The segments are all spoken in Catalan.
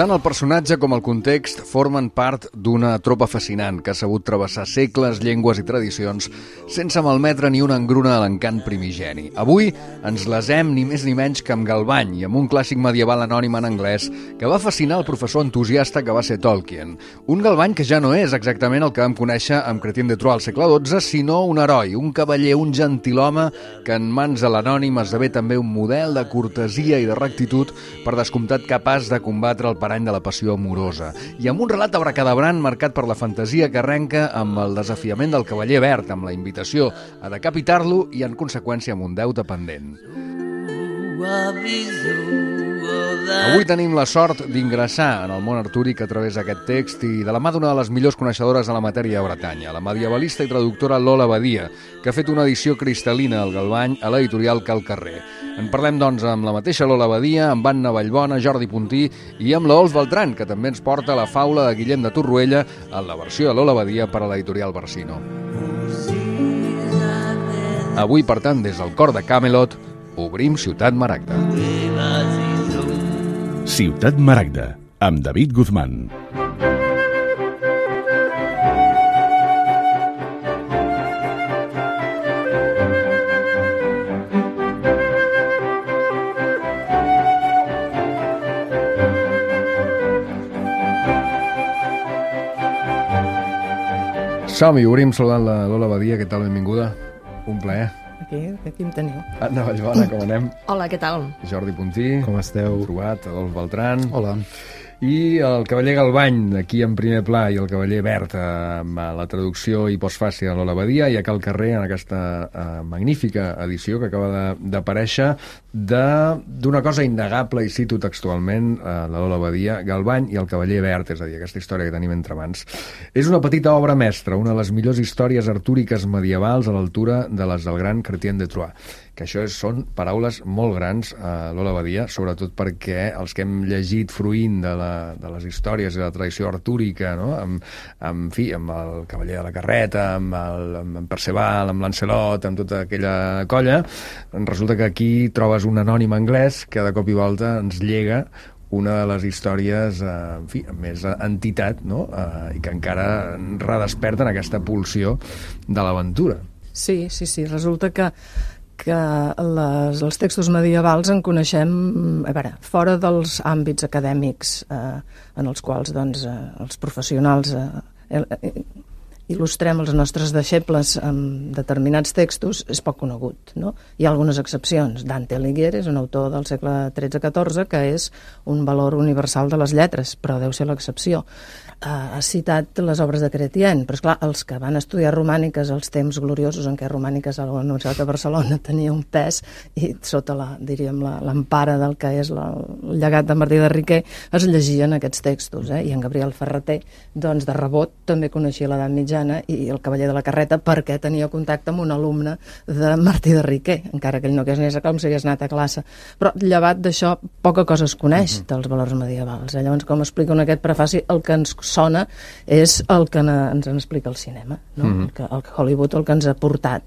Tant el personatge com el context formen part d'una tropa fascinant que ha sabut travessar segles, llengües i tradicions sense malmetre ni una engruna a l'encant primigeni. Avui ens lesem ni més ni menys que amb Galvany i amb un clàssic medieval anònim en anglès que va fascinar el professor entusiasta que va ser Tolkien. Un Galvany que ja no és exactament el que vam conèixer amb Chrétien de Troyes al segle XII, sinó un heroi, un cavaller, un gentilhome que en mans de l'anònim esdevé també un model de cortesia i de rectitud, per descomptat capaç de combatre el parany de la passió amorosa, i amb un relat abracadabrant marcat per la fantasia que arrenca amb el desafiament del cavaller verd, amb la invitació a decapitar-lo i, en conseqüència, amb un deute pendent. Avui tenim la sort d'ingressar en el món artúric a través d'aquest text i de la mà d'una de les millors coneixedores de la matèria a Bretanya, la medievalista i traductora Lola Badia, que ha fet una edició cristal·lina al Galvany a l'editorial Cal Carrer. En parlem, doncs, amb la mateixa Lola Badia, amb Anna Vallbona, Jordi Puntí i amb l'Ols Beltran, que també ens porta la faula de Guillem de Torroella en la versió de Lola Badia per a l'editorial Barsino. Avui, per tant, des del cor de Camelot, obrim Ciutat Maragda. Ciutat Maragda, amb David Guzmán. Som-hi, obrim saludant la Lola Badia. Què tal? Benvinguda. Un plaer. Aquí em teniu. Anna Vallbona, com anem? Hola, què tal? Jordi Puntí. Com esteu? Trobat, Adolf Beltran. Hola. I el cavaller Galvany, aquí en primer pla, i el cavaller verd, amb la traducció i postfàcia de Lola Badia, i a Cal Carrer, en aquesta magnífica edició que acaba d'aparèixer, d'una cosa innegable, i cito textualment la Lola Badia, Galvany i el cavaller verd, és a dir, aquesta història que tenim entre mans. És una petita obra mestra, una de les millors històries artúriques medievals a l'altura de les del gran Chrétien de Troyes. Que això són paraules molt grans, Lola Badia, sobretot perquè els que hem llegit fruint de les històries i de la tradició artúrica, no? amb el cavaller de la carreta, amb Perceval, amb Lancelot, amb tota aquella colla, resulta que aquí trobes un anònim anglès que de cop i volta ens llega una de les històries amb més entitat, no? I que encara redesperten aquesta pulsió de l'aventura. Sí, resulta que els textos medievals en coneixem, fora dels àmbits acadèmics en els quals doncs, els professionals il·lustrem els nostres deixebles amb determinats textos, és poc conegut, no? Hi ha algunes excepcions. Dante Alighieri és un autor del segle XIII-XIV que és un valor universal de les lletres, però deu ser l'excepció. Ha citat les obres de Chrétien, però esclar, els que van estudiar romàniques als temps gloriosos en què romàniques a la Universitat de Barcelona tenia un pes, i sota l'empara del que és el llegat de Martí de Riquer es llegien aquests textos, i en Gabriel Ferrater, doncs de rebot també coneixia l'edat mitjana i el cavaller de la carreta perquè tenia contacte amb un alumne de Martí de Riquer, encara que ell no hagués anés a com si hagués anat a classe. Però llevat d'això, poca cosa es coneix dels valors medievals. Llavors, com explico en aquest prefaci, el que ens sona és el que ens en explica el cinema, no? El Hollywood, el que ens ha portat.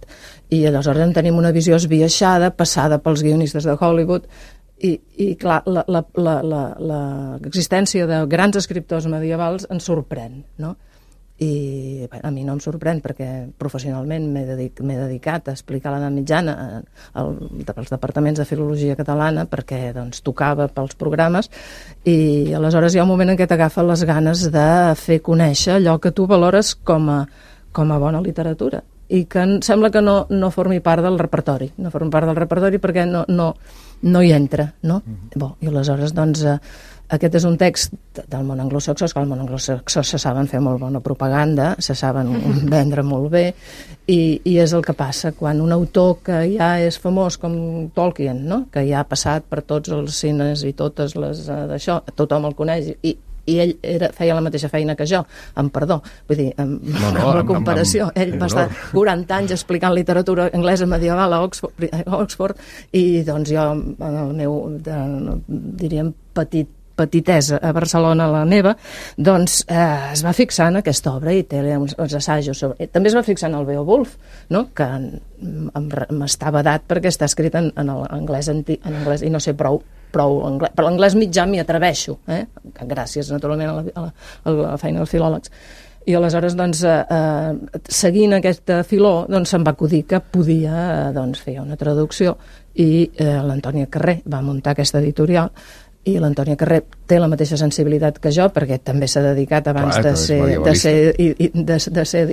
I aleshores en tenim una visió esbiaixada, passada pels guionistes de Hollywood, i clar, l'existència de grans escriptors medievals ens sorprèn, no? I a mi no em sorprèn perquè professionalment m'he dedicat a explicar l'edat mitjana als departaments de filologia catalana perquè doncs, tocava pels programes, i aleshores hi ha un moment en què t'agafa les ganes de fer conèixer allò que tu valores com a bona literatura i que sembla que no formi part del repertori, perquè no hi entra, no? I aleshores doncs aquest és un text del món anglosaxó, que al món anglosaxó se saben fer molt bona propaganda, se saben vendre molt bé, i és el que passa quan un autor que ja és famós com Tolkien, no? Que ja ha passat per tots els cines i totes les d'això, tothom el coneix, i ell feia la mateixa feina que jo, amb perdó, vull dir, amb la comparació. Ell va estar 40 anys explicant literatura anglesa medieval a Oxford, i doncs jo, en el meu, diríem, petitesa a Barcelona, a la neva, doncs es va fixar en aquesta obra i té uns assajos sobre... També es va fixar en el Beowulf, no? Que m'està vedat perquè està escrit en anglès i no sé prou prou anglès. Per l'anglès mitjà m'hi atreveixo, gràcies, naturalment, a la feina dels filòlegs. I aleshores, doncs, seguint aquest filó, doncs, se'm va acudir que podia fer una traducció i l'Antònia Carré va muntar aquesta editorial i l'Antònia Carré té la mateixa sensibilitat que jo, perquè també s'ha dedicat abans de ser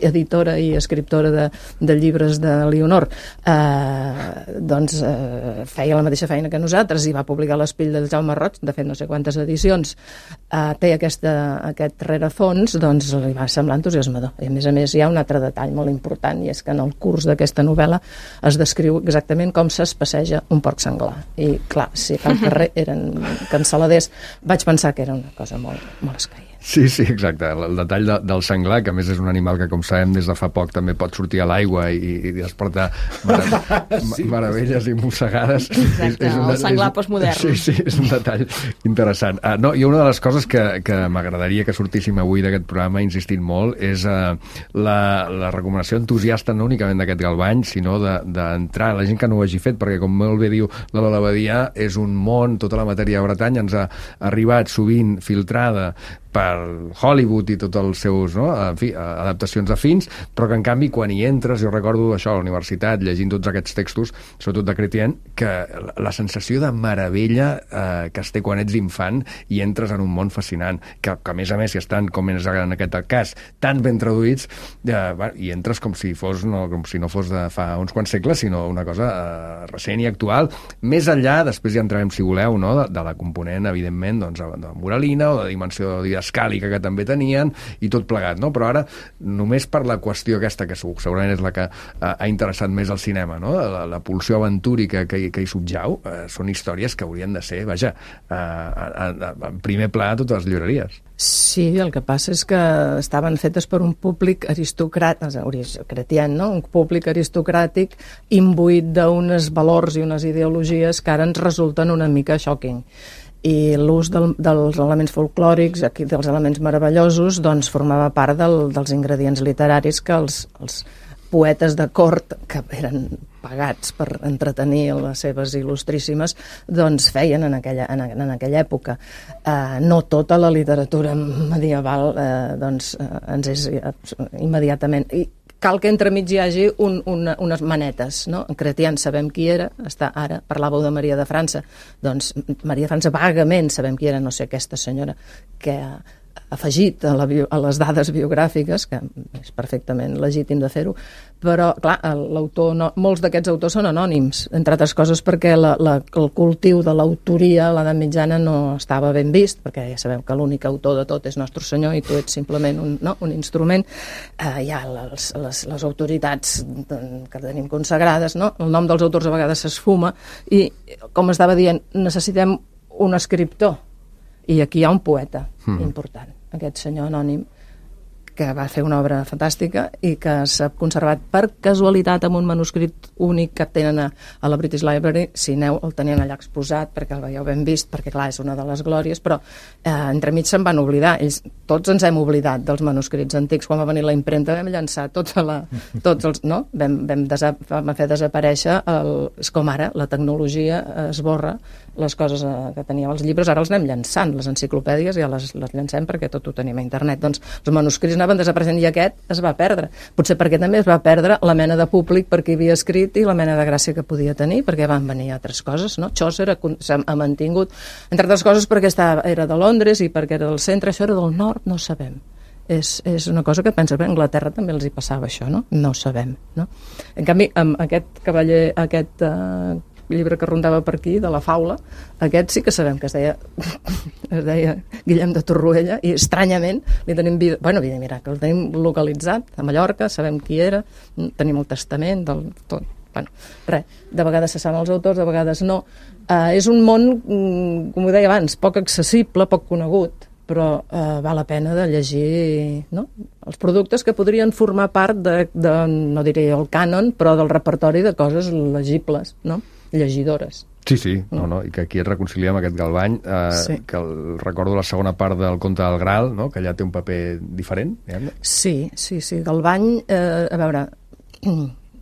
editora i escriptora de llibres de Leonor, feia la mateixa feina que nosaltres i va publicar l'Espill del Jaume Roig, de fet no sé quantes edicions, té aquest rerefons, doncs li va semblar entusiasmador. I a més hi ha un altre detall molt important, i és que en el curs d'aquesta novel·la es descriu exactament com es passeja un porc senglar. I clar, si al carrer eren cansaladers, vaig pensar que era una cosa molt escaient. Sí, exacte. El detall del senglar, que a més és un animal que, com sabem, des de fa poc també pot sortir a l'aigua i despertar meravelles i mossegades. Exacte, el senglar postmodern. Sí, és un detall interessant. I una de les coses que m'agradaria que sortíssim avui d'aquest programa, insistint molt, és la recomanació entusiasta no únicament d'aquest Galvany, sinó d'entrar, la gent que no ho hagi fet, perquè, com molt bé diu la Lola Badia, és un món, tota la matèria de Bretanya ens ha arribat sovint filtrada per Hollywood i tots els seus adaptacions afins, però que en canvi quan hi entres, jo recordo això a la universitat llegint tots aquests textos, sobretot de Chrétien, que la sensació de meravella que es té quan ets infant i entres en un món fascinant, que a més si estan, com és en aquest cas, tan ben traduïts, i entres com si no fos de fa uns quants segles, sinó una cosa recent i actual, més enllà, després ja entrarem si voleu, de la component evidentment de moralina o de dimensió escàlica que també tenien i tot plegat, no? Però ara només per la qüestió aquesta, que segurament és la que ha interessat més al cinema, no? La pulsió aventúrica que hi subjau, són històries que haurien de ser, en primer pla a totes les llibreries. Sí, el que passa és que estaven fetes per un públic Chrétien, no? Un públic aristocràtic imbuït d'uns valors i unes ideologies que ara ens resulten una mica shocking. I l'ús dels elements folclòrics, dels elements meravellosos, doncs formava part dels ingredients literaris que els poetes de cort, que eren pagats per entretenir les seves il·lustríssimes, doncs feien en aquella època. No tota la literatura medieval ens és immediatament... Cal que entremig hi hagi unes manetes, no? En Chrétien sabem qui era, ara parlàveu de Maria de França, doncs Maria de França vagament sabem qui era, no sé, aquesta senyora que ha afegit a les dades biogràfiques, que és perfectament legítim de fer-ho, però, clar, molts d'aquests autors són anònims, entre altres coses perquè el cultiu de l'autoria a l'edat mitjana no estava ben vist, perquè ja sabeu que l'únic autor de tot és Nostre Senyor i tu ets simplement un instrument. Hi ha les autoritats que tenim consagrades, no? El nom dels autors a vegades s'esfuma i, com estava dient, necessitem un escriptor. I aquí hi ha un poeta important, aquest senyor anònim, que va fer una obra fantàstica i que s'ha conservat per casualitat amb un manuscrit únic que tenen a la British Library. Si aneu, el tenien allà exposat perquè el veieu ben vist, perquè clar, és una de les glòries, però entremig se'n van oblidar. Tots ens hem oblidat dels manuscrits antics. Quan va venir la impremta vam llançar vam fer desaparèixer és com ara, la tecnologia esborra les coses que teníem els llibres, ara els anem llançant, les enciclopèdies ja les llancem perquè tot ho tenim a internet. Doncs els manuscrits anaven desapareixent i aquest es va perdre. Potser perquè també es va perdre la mena de públic per qui havia escrit i la mena de gràcia que podia tenir, perquè van venir altres coses, no? Chaucer s'ha mantingut, entre altres coses perquè era de Londres i perquè era del centre, això era del nord, no sabem. És una cosa que penses, bé, a Anglaterra també els hi passava això, no? No ho sabem, no? En canvi, amb aquest cavaller, aquest llibre que rondava per aquí, de la faula, aquest sí que sabem que es deia Guillem de Torroella, i estranyament li tenim vida miracle, el tenim localitzat a Mallorca, sabem qui era, tenim el testament del tot. De vegades se saben els autors, de vegades no. És un món, com ho deia abans, poc accessible, poc conegut, però val la pena de llegir, no? Els productes que podrien formar part no diré el cànon, però del repertori de coses legibles, no? Llegidores. Sí, i que aquí es reconcilia amb aquest Galvany, que recordo la segona part del Conte del Graal, no? Que allà té un paper diferent. Sí, Galvany, a veure,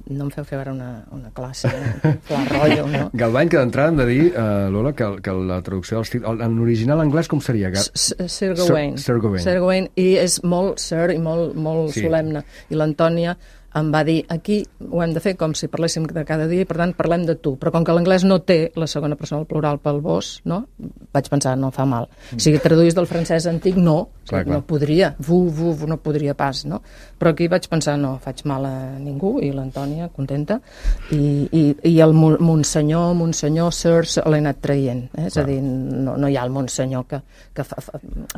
no em feu fer ara una classe clar rotllo, no? Galvany, que d'entrada hem de dir, Lola, que la traducció dels títols, en original anglès com seria? Sir Gawain. Sir Gawain. Sir Gawain, i és molt sir i molt solemne. I l'Antònia em va dir, aquí ho hem de fer com si parléssim de cada dia, i per tant parlem de tu, però com que l'anglès no té la segona persona del plural pel vos, no? Vaig pensar, no fa mal. Si traduís del francès antic, no, no podria, no podria pas, no? Però aquí vaig pensar, no faig mal a ningú, i l'Antònia contenta, i el Monsenyor, Sir, l'he anat traient, és a dir, no hi ha el Monsenyor que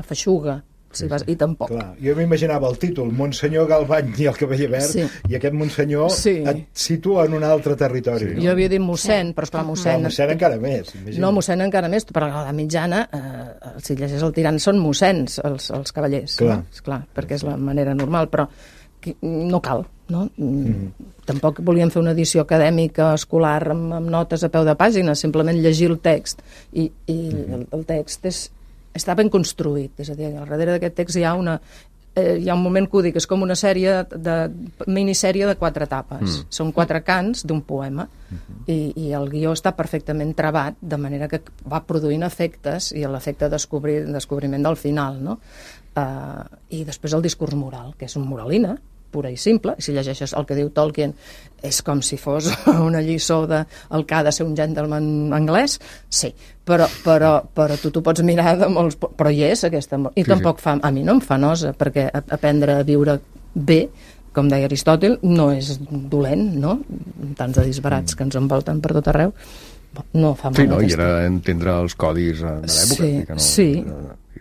feixuga, i tampoc. Clar, jo m'imaginava el títol Monsenyor Galvany i el Cavaller Verd, i aquest Monsenyor et situa en un altre territori. Jo havia dit mossèn, però esclar, mossèn encara més. No, mossèn encara més, però a la mitjana, si llegeix el tirant, són mossèns els cavallers. Clar, perquè és la manera normal, però no cal, no? Tampoc volíem fer una edició acadèmica, escolar, amb notes a peu de pàgina, simplement llegir el text, i el text està ben construït, és a dir, al darrere d'aquest text hi ha un moment que ho dic, és com una minissèrie de 4 etapes. Són 4 cants d'un poema, i el guió està perfectament travat, de manera que va produint efectes, i l'efecte descobriment del final, no? I després el discurs moral, que és un moralina, pura i simple, i si llegeixes el que diu Tolkien és com si fos una lliçó del que ha de ser un gentleman anglès, sí, però tu t'ho pots mirar de molts... Però hi és aquesta... I tampoc fa... A mi no em fa nosa, perquè aprendre a viure bé, com deia Aristòtil, no és dolent, no? Tants de disbarats que ens envolten per tot arreu, no fa mal. Sí, no, i era entendre els codis de l'època. Sí.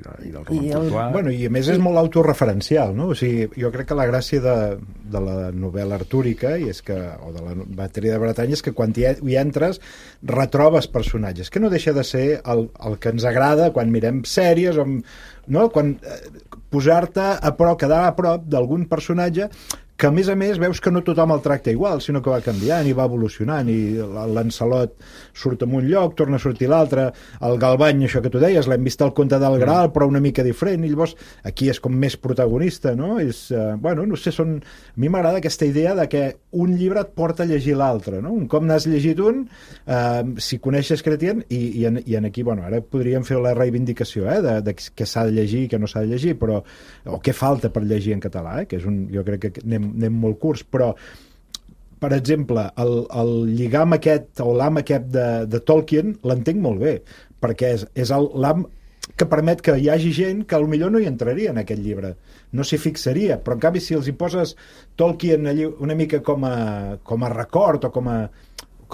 I del roman portuà. Bueno, i a més és molt autorreferencial, no? O sigui, jo crec que la gràcia de la novel·la artúrica o de la Batèria de Bretanya és que quan hi entres retrobes personatges, que no deixa de ser el que ens agrada quan mirem sèries, no? Quan posar-te quedar a prop d'algun personatge que a més veus que no tothom el tracta igual, sinó que va canviant i va evolucionant, i l'Ancelot surt en un lloc, torna a sortir l'altre, el Galvany, això que tu deies, l'hem vist al Conte del Graal, però una mica diferent, i llavors aquí és com més protagonista, no? Bueno, no sé, a mi m'agrada aquesta idea de que un llibre et porta a llegir l'altre, no? Un cop n'has llegit un, si coneixes Chrétien, i aquí, bueno, ara podríem fer la reivindicació, de què s'ha de llegir i què no s'ha de llegir, però, o què falta per llegir en català, que és jo crec que anem molt curts, però per exemple, el lligam aquest o l'am aquest de Tolkien l'entenc molt bé, perquè és l'am que permet que hi hagi gent que potser no hi entraria en aquest llibre, no s'hi fixaria, però en canvi si els hi poses Tolkien allí una mica com a record o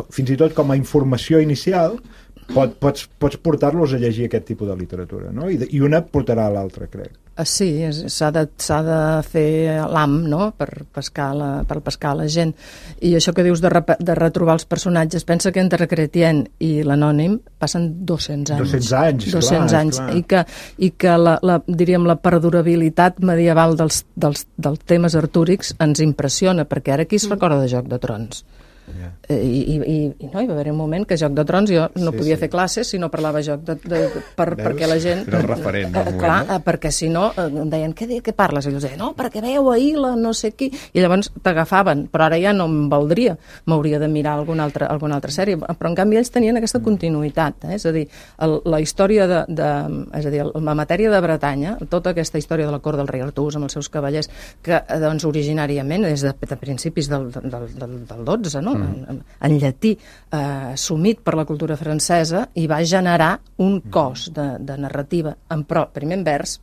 fins i tot com a informació inicial, pots portar-los a llegir aquest tipus de literatura, no? I una portarà a l'altra, crec. Sí, s'ha de fer l'am, no?, per pescar la gent. I això que dius de retrobar els personatges, pensa que entre Chrétien i l'Anònim passen 200 anys. 200 anys. Clar. I que diríem, la perdurabilitat medieval dels temes artúrics ens impressiona, perquè ara qui es recorda de Joc de Trons? I no, hi va haver un moment que Joc de Trons jo no podia fer classes si no parlava perquè la gent era el referent del moment, clar, perquè si no em deien, què parles? I jo deia, no, perquè veieu ahir la no sé qui, i llavors t'agafaven, però ara ja no em valdria, m'hauria de mirar alguna altra sèrie, però en canvi ells tenien aquesta continuïtat, és a dir, la història és a dir, la matèria de Bretanya, tota aquesta història de la cort del rei Artús amb els seus cavallers, que doncs originàriament des de principis del 12, no? En llatí, sumit per la cultura francesa, i va generar un cos de narrativa, primer en vers,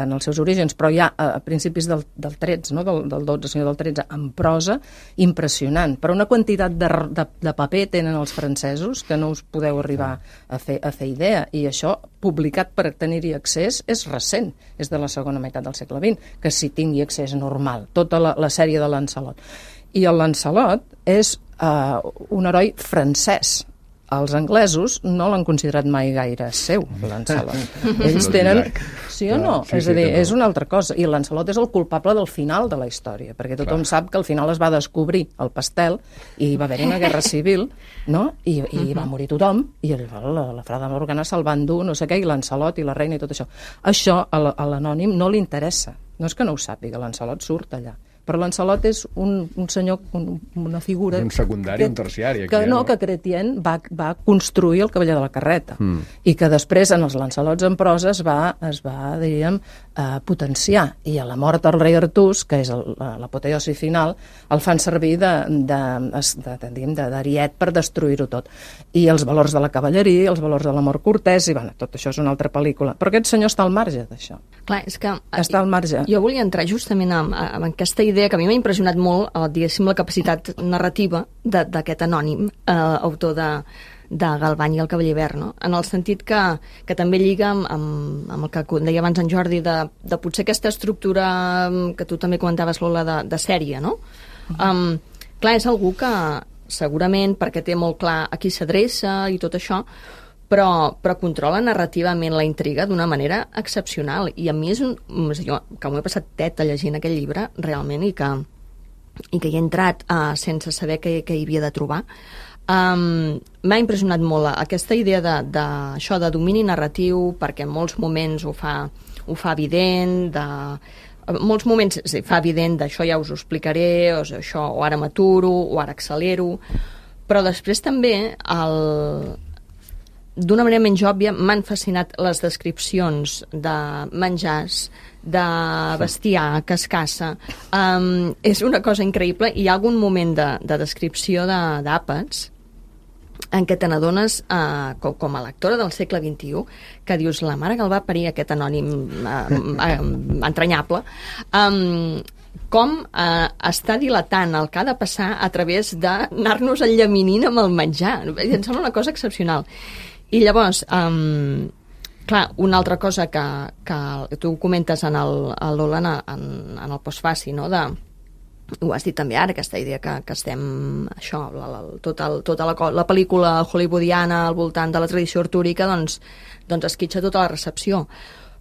en els seus orígens, però ja a principis del 13, no? del 12, sinó del 13, en prosa, impressionant. Però una quantitat de paper tenen els francesos que no us podeu arribar a fer idea, i això, publicat per tenir-hi accés, és recent, és de la segona meitat del segle XX, que s'hi tingui accés normal, tota la sèrie de Lancelot. I el Lancelot és un heroi francès. Els anglesos no l'han considerat mai gaire seu, Lancelot. Ells tenen... Sí o no? És a dir, és una altra cosa. I Lancelot és el culpable del final de la història, perquè tothom sap que al final es va descobrir el pastel i va haver-hi una guerra civil, no? I va morir tothom, i la Frada Morgana se'l van dur, no sé què, i Lancelot i la reina i tot això. Això a l'Anònim no li interessa. No és que no ho sàpiga, Lancelot surt allà. però Lancelot és un senyor, una figura... Un secundari, un terciari. Aquí, que Chrétien va construir el cavaller de la carreta, i que després en els Lancelots en prosa es va diríem, potenciar, i a la mort del rei Artús, que és l'apoteosi final, el fan servir d'ariet per destruir-ho tot. I els valors de la cavalleria, els valors de l'amor cortès, i bueno, tot això és una altra pel·lícula. Però aquest senyor està al marge d'això. Clar, és que... Està al marge. Jo volia entrar justament en aquesta idea que a mi m'ha impressionat molt, diguéssim, la capacitat narrativa d'aquest anònim, autor de Galvany i el Cavaller Verd, no? En el sentit que també lliga amb el que deia abans en Jordi, de potser aquesta estructura que tu també comentaves, Lola, de sèrie, no? Clar, és algú que segurament, perquè té molt clar a qui s'adreça i tot això, però controla narrativament la intriga d'una manera excepcional, i a mi jo que m'ho he passat teta llegint aquest llibre realment, i que hi he entrat sense saber què hi havia de trobar. M'ha impressionat molt aquesta idea d'això de domini narratiu, perquè en molts moments ho fa evident, en molts moments fa evident d'això ja us ho explicaré, o ara m'aturo, o ara accelero, però després també d'una manera menys òbvia m'han fascinat les descripcions de menjars, de bestiar que es caça. És una cosa increïble, i hi ha algun moment de descripció d'àpats en què te n'adones, com a lectora del segle XXI, que dius, la mare que el va parir aquest anònim entranyable, com està dilatant el que ha de passar a través d'anar-nos enllaminint amb el menjar. Em sembla una cosa excepcional. I llavors, clar, una altra cosa que tu comentes en Lola, en el postfaci, no?, ho has dit també ara, aquesta idea que estem, això, tota la pel·lícula hollywoodiana al voltant de la tradició artúrica, doncs esquitxa tota la recepció.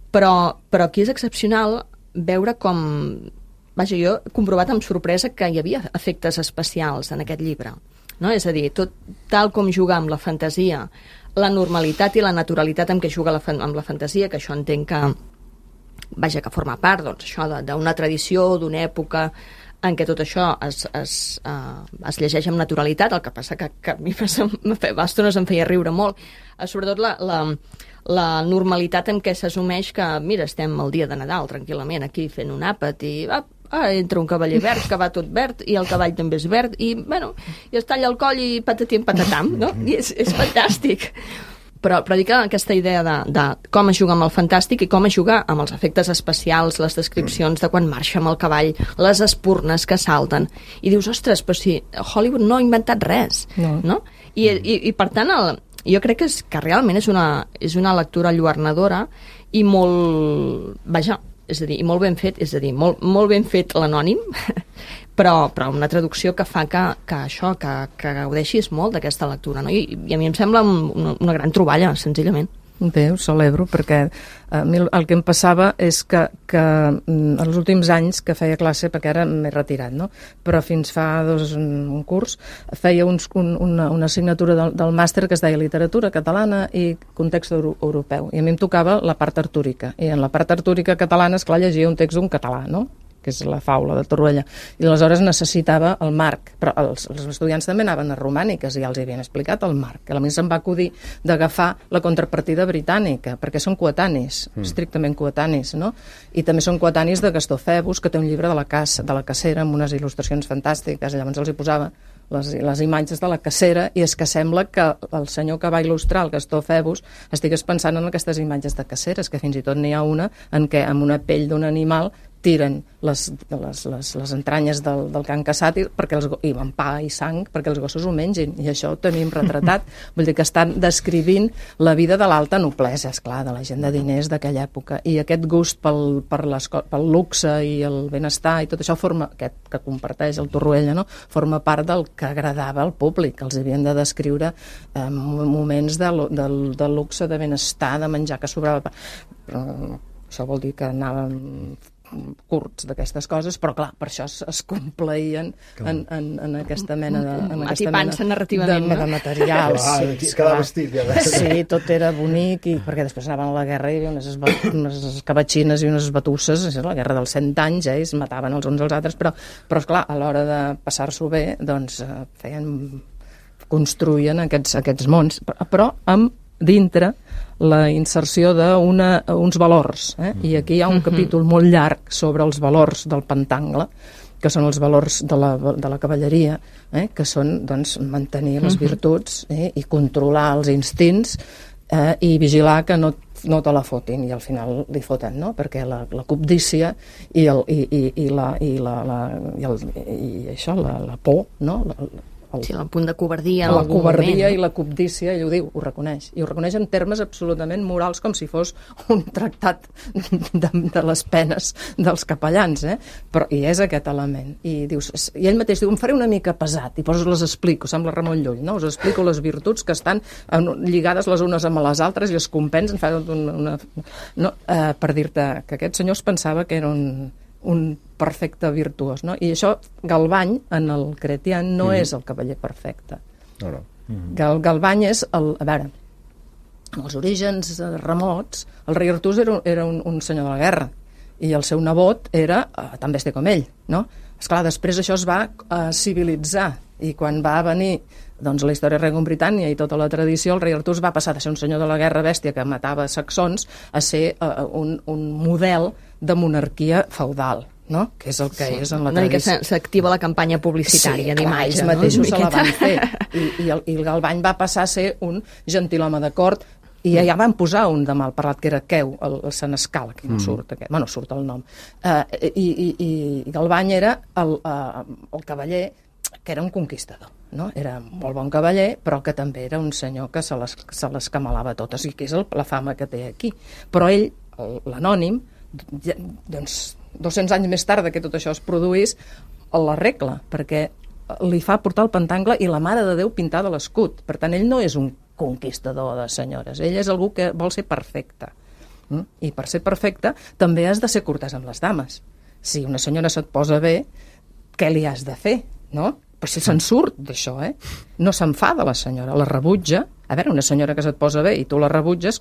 Però aquí és excepcional veure com... Vaja, jo he comprovat amb sorpresa que hi havia efectes especials en aquest llibre, no? És a dir, tot tal com juga amb la fantasia, la normalitat i la naturalitat amb què juga amb la fantasia, que això entenc que forma part, doncs, això d'una tradició, d'una època en què tot això es llegeix amb naturalitat, el que passa que a mi a estones em feia riure molt, sobretot la normalitat en què s'assumeix que, mira, estem el dia de Nadal tranquil·lament aquí fent un àpat i entra un cavaller verd que va tot verd i el cavall també és verd i, bueno, i es talla el coll i patatim patatam, no? I és fantàstic. Però dic que aquesta idea de com es juga amb el fantàstic i com es juga amb els efectes especials, les descripcions de quan marxa amb el cavall, les espurnes que salten, i dius, ostres, però si Hollywood no ha inventat res, no? I per tant, jo crec que realment és una lectura enlluernadora i molt... Vaja, és a dir, molt ben fet, molt ben fet l'anònim, però una traducció que fa que gaudeixis molt d'aquesta lectura, no? I a mi em sembla una gran troballa, senzillament. Bé, ho celebro, perquè a mi el que em passava és que els últims anys que feia classe, perquè ara m'he retirat, no? Però fins fa un curs feia una assignatura del màster que es deia Literatura Catalana i Context Europeu, i a mi em tocava la part artúrica, i en la part artúrica catalana, esclar, llegia un text d'un català, no?, que és la faula de Torroella, i aleshores necessitava el marc, però els estudiants també anaven a romàniques i ja els havien explicat el marc, que a mi se'm va acudir d'agafar la contrapartida britànica, perquè són coetanis, estrictament coetanis, no? I també són coetanis de Gastó Febus, que té un llibre de la cacera amb unes il·lustracions fantàstiques, i llavors els hi posava les imatges de la cacera, i és que sembla que el senyor que va il·lustrar el Gastó Febus estigués pensant en aquestes imatges de caceres, que fins i tot n'hi ha una en què amb una pell d'un animal tiren les entranyes del que han caçat i amb pa i sang perquè els gossos ho mengin, i això ho tenim retratat. Vull dir que estan descrivint la vida de l'alta noblesa, esclar, de la gent de diners d'aquella època, i aquest gust pel luxe i el benestar i tot això aquest que comparteix el Torroella, no?, forma part del que agradava al públic. Els havien de descriure moments de luxe, de benestar, de menjar que sobrava, però això vol dir que anàvem curts d'aquestes coses, però clar, per això es compleïen en aquesta mena de narrativament, de materials. Cada vestit, ja veus. Sí, tot era bonic, perquè després anaven a la guerra i hi havia unes escabatxines i unes batusses, la guerra dels 100 anys, es mataven els uns als altres, però esclar, a l'hora de passar-s'ho bé, doncs construïen aquests mons, però amb dintre la inserció d'uns valors, i aquí hi ha un capítol molt llarg sobre els valors del pentangle, que són els valors de la cavalleria, que són doncs, mantenir les virtuts i controlar els instints i vigilar que no te la fotin, i al final li foten, no? Perquè la cobdícia i la por, no? Sí, el punt de covardia. La covardia i la cobdícia, ell ho diu, ho reconeix. I ho reconeix en termes absolutament morals, com si fos un tractat de les penes dels capellans, Però, i és aquest element. I ell mateix diu, em faré una mica pesat, i us les explico, sembla Ramon Llull, no? Us explico les virtuts que estan lligades les unes amb les altres i es compensen, per dir-te que aquest senyor es pensava que era un perfecte virtuós, no? I això, Galvany, en el Cretian, no és el cavaller perfecte. No. Galvany és a veure, en els orígens remots, el rei Artús era un senyor de la guerra, i el seu nebot era tan bèstia com ell, no? Esclar, després això es va civilitzar, i quan va venir doncs, la història de Regum Britània i tota la tradició, el rei Artús va passar de ser un senyor de la guerra bèstia que matava saxons a ser un model de monarquia feudal, no? Que és el que és en la tradició. S'activa la campanya publicitària d'imatge. Ells mateixos se la van fer. I el Galvany va passar a ser un gentilhome de cort, i ja van posar un de mal parlat, que era Queu, el senescal, que no surt aquest, bueno, surt el nom. I Galvany era el cavaller que era un conquistador, no? Era molt bon cavaller, però que també era un senyor que se les camalava totes, i que és la fama que té aquí. Però ell, l'anònim, doncs 200 anys més tard que tot això es produís, l'arregla, perquè li fa portar el pentangle i la Mare de Déu pintada a l'escut. Per tant, ell no és un conquistador de senyores, ell és algú que vol ser perfecte. I per ser perfecte també has de ser cortès amb les dames. Si una senyora se't posa bé, què li has de fer, no? Però si se'n surt d'això, no s'enfada la senyora, la rebutja. A veure, una senyora que se't posa bé i tu la rebutges,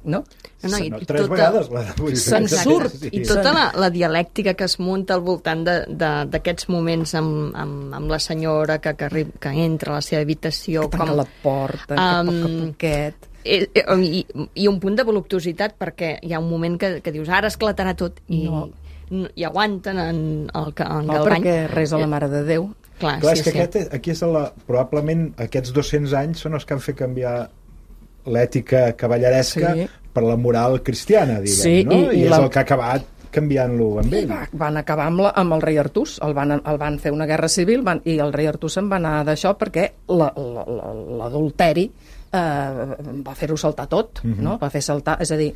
no? Tres vegades la rebutja. Se'n surt. I tota la dialèctica que es munta al voltant d'aquests moments amb la senyora que entra a la seva habitació, que tanca la porta, que poquet. I un punt de voluptuositat, perquè hi ha un moment que dius, ara esclatarà tot, i aguanten en Galvany. No, perquè resa la Mare de Déu. Clar, és que aquí és probablement aquests 200 anys són els que han fet canviar l'ètica cavalleresca per la moral cristiana, diguem, no? I és el que ha acabat canviant-lo amb ell. Van acabar amb el rei Artús, el van fer una guerra civil, i el rei Artús se'n va anar d'això perquè l'adulteri va fer-ho saltar tot, no? Va fer saltar, és a dir,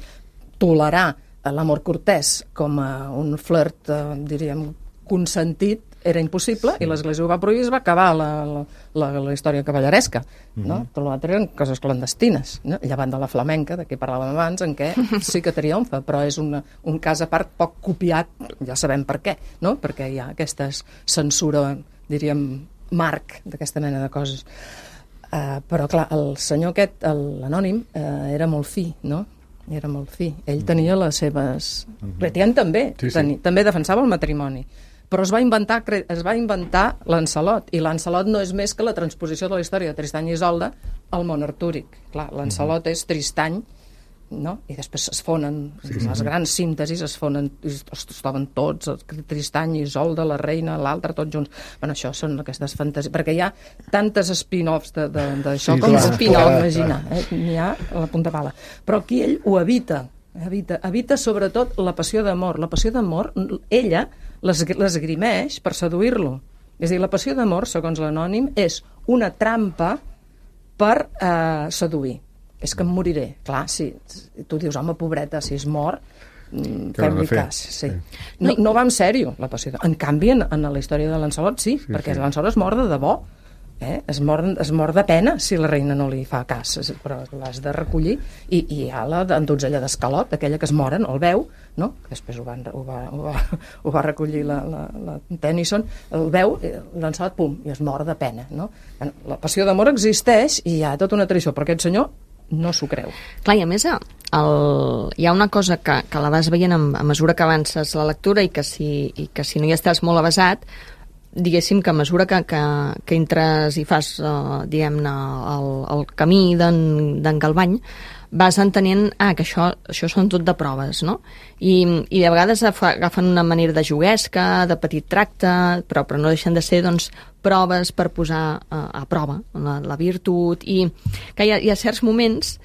tolerar l'amor cortès com un flirt, diríem, consentit, era impossible, i l'Església ho va prohibir, es va acabar la història cavalleresca, no? Tot l'altre eren coses clandestines, no? Llevant de la flamenca, de què parlàvem abans, en què sí que triomfa, però és un cas a part poc copiat, ja sabem per què, no? Perquè hi ha aquesta censura, diríem, marc d'aquesta mena de coses. Però, clar, el senyor aquest, l'anònim, era molt fi, no? Era molt fi. Ell tenia les seves... Cretian també, també defensava el matrimoni. Però es va inventar Lancelot, i Lancelot no és més que la transposició de la història de Tristany i Isolda al món artúric. Clar, Lancelot és Tristany, no? I després es fonen, les grans síntesis es fonen, es troben tots, Tristany, Isolda, la reina, l'altre, tots junts. Bueno, això són aquestes fantasies, perquè hi ha tantes spin-offs d'això com es pot imaginar, n'hi ha a la punta pala. Però aquí ell ho evita sobretot la passió d'amor. La passió d'amor, ella l'esgrimeix per seduir-lo. És a dir, la passió d'amor, segons l'anònim, és una trampa per seduir. És que em moriré. Clar, si tu dius, home, pobreta, si es mor, fem-li cas. Sí. No va en sèrio, la passió d'amor. En canvi, en la història de Lancelot, sí, perquè Lancelot es mor de debò. es mor de pena si la reina no li fa cas, però l'has de recollir, i hi ha la donzella d'Escalot, aquella que es mora, no el veu, no? Després ho va recollir la Tennyson, el veu, l'ensalat, pum, i es mor de pena, no? La passió d'amor existeix i hi ha tota una tradició, però aquest senyor no s'ho creu. Clar, i a més hi ha una cosa que la vas veient a mesura que avances la lectura i que si no hi estàs molt avasat, diguéssim que a mesura que entres i fas, diguem-ne, el camí d'en Galvany, vas entenent que això són tot de proves, no? I de vegades agafen una manera de juguesca, de petit tracte, però no deixen de ser, doncs, proves per posar a prova la virtut, i que hi ha certs moments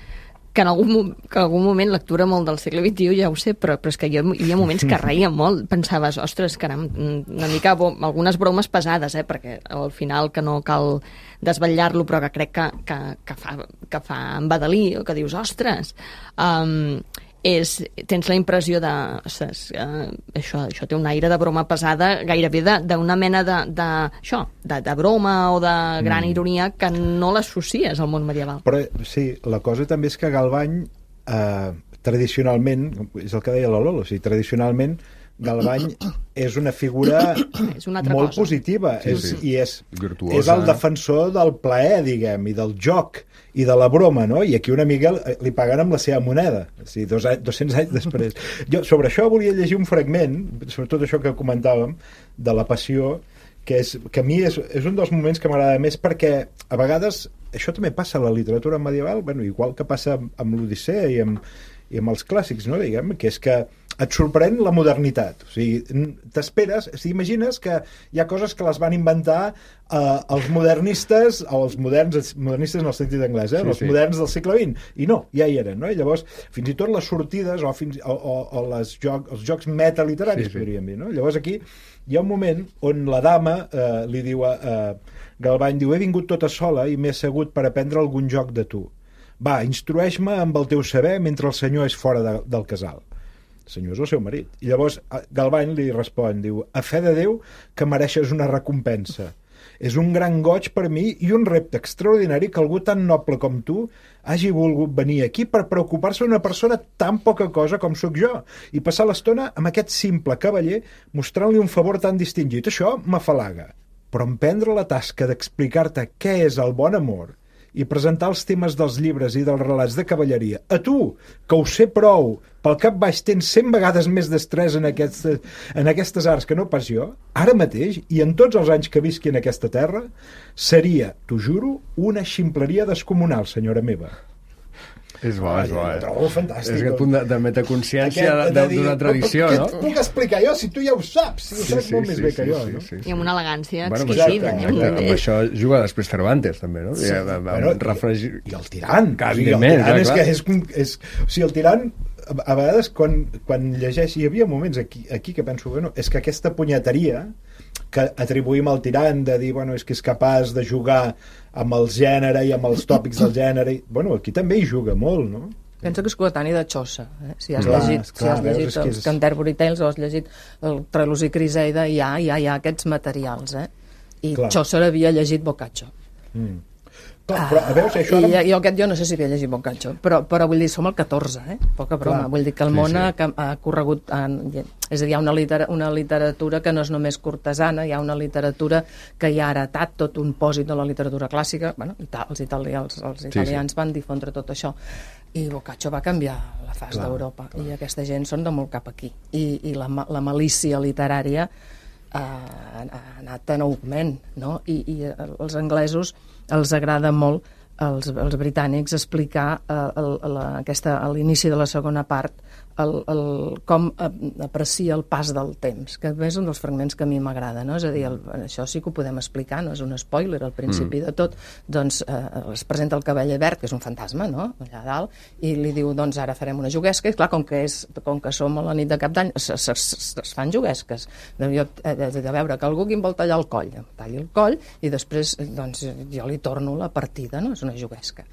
que en algun moment, lectura molt del segle XXI, ja ho sé, però és que hi havia moments que reia molt, pensaves, ostres, caram, una mica algunes bromes pesades, perquè al final que no cal desvetllar-lo, però que crec que fa embadalir, o que dius, ostres, tens la impressió de, ostres, això té un aire de broma pesada, gairebé d'una mena de broma o de gran ironia que no l'associes al món medieval. Però sí, la cosa també és que Galvany, tradicionalment, és el que deia la Lola, o sigui, tradicionalment Galvany és una figura molt positiva, i és el defensor del plaer, diguem, i del joc i de la broma, no? I aquí una mica li paguen amb la seva moneda, o sigui, 200 anys després. Jo sobre això volia llegir un fragment, sobretot això que comentàvem, de la passió, que a mi és un dels moments que m'agrada més, perquè a vegades això també passa a la literatura medieval, bueno, igual que passa amb l'Odissea i amb els clàssics, no? Diguem, que és que et sorprèn la modernitat, o sigui, t'esperes, imagines que hi ha coses que les van inventar els modernistes, o els modernistes en el sentit anglès, els moderns del segle XX, i no, ja hi eren, no? I llavors, fins i tot les sortides o els jocs metaliteraris, podríem dir, no? Llavors aquí hi ha un moment on la dama li diu a Galvany, diu, he vingut tota sola i m'he assegut per aprendre algun joc de tu. Va, instrueix-me amb el teu saber mentre el senyor és fora del casal. El senyor és el seu marit. I llavors Galvany li respon, diu, a fe de Déu que mereixes una recompensa. És un gran goig per mi i un repte extraordinari que algú tan noble com tu hagi volgut venir aquí per preocupar-se d'una persona tan poca cosa com sóc jo i passar l'estona amb aquest simple cavaller mostrant-li un favor tan distingit. Això m'afalaga. Però emprendre la tasca d'explicar-te què és el bon amor i presentar els temes dels llibres i dels relats de cavalleria a tu, que ho sé prou, pel cap baix tens 100 vegades més destresa en aquestes arts que no pas jo, ara mateix, i en tots els anys que visqui en aquesta terra, seria, t'ho juro, una ximpleria descomunal, senyora meva. És bo, és bo. Ho trobo fantàstic. És aquest punt de metaconsciència d'una tradició, no? Què et puc explicar jo si tu ja ho saps? Si ho saps molt més bé que jo, no? I amb una elegància exquisida. Amb això juga després Cervantes, també, no? I el tirant. Evidentment, clar. O sigui, el tirant, a vegades, quan llegeix, hi havia moments aquí que penso, bueno, és que aquesta punyeteria que atribuïm al tirant de dir, bueno, és que és capaç de jugar amb el gènere i amb els tòpics del gènere, bueno, aquí també hi juga molt, no? Pensa que és coetani de Chaucer, si has llegit els Canterbury Tales o has llegit el Trelosi Criseida, hi ha aquests materials, i Chaucer havia llegit Boccaccio. Però, a veure, això ara... jo no sé si havia llegit Boccaccio, però vull dir, som al 14, poca broma. Vull dir que el món ha corregut... És a dir, hi ha una literatura que no és només cortesana, hi ha una literatura que hi ha heretat tot un pòsit de la literatura clàssica. Bueno, els italians van difondre tot això. I Boccaccio va canviar la fase d'Europa. I aquesta gent són de molt cap aquí. I la malícia literària ha anat en augment, no? I els anglesos els agrada molt, als britànics, explicar a l'inici de la segona part com aprecia el pas del temps, que és un dels fragments que a mi m'agrada, no? És a dir, això sí que ho podem explicar, no és un spoiler al principi de tot, doncs es presenta el cavaller verd, que és un fantasma, no?, allà dalt, i li diu, doncs ara farem una juguesca, i clar, com que som a la nit de cap d'any, es fan juguesques, de veure que algú qui em vol tallar el coll, em talli el coll, i després doncs jo li torno la partida, no?, és una juguesca.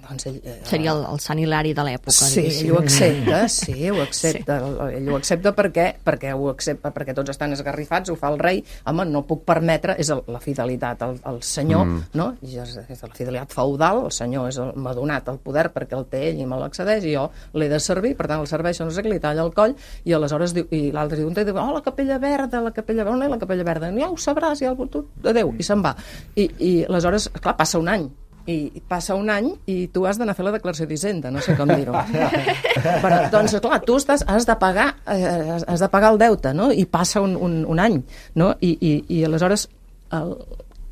doncs ell... Seria el Sant Hilari de l'època. Sí, ell ho accepta, ho accepta. Sí. Ell ho accepta perquè tots estan esgarrifats, ho fa el rei. Home, no puc permetre, és la fidelitat al senyor, no? I és la fidelitat feudal, el senyor m'ha donat el poder perquè el té ell i me l'accedeix, i jo l'he de servir, per tant el serveixo, no sé què, li talla el coll, i aleshores diu, i l'altre diu, la capella verda, on és la capella verda? Ja ho sabràs, adéu, i se'n va. I aleshores, clar, passa un any, i tu has d'anar a fer la declaració d'Hisenda, no sé com dir-ho. Però, doncs, clar, tu has de pagar el deute, no? I passa un any, no? I aleshores,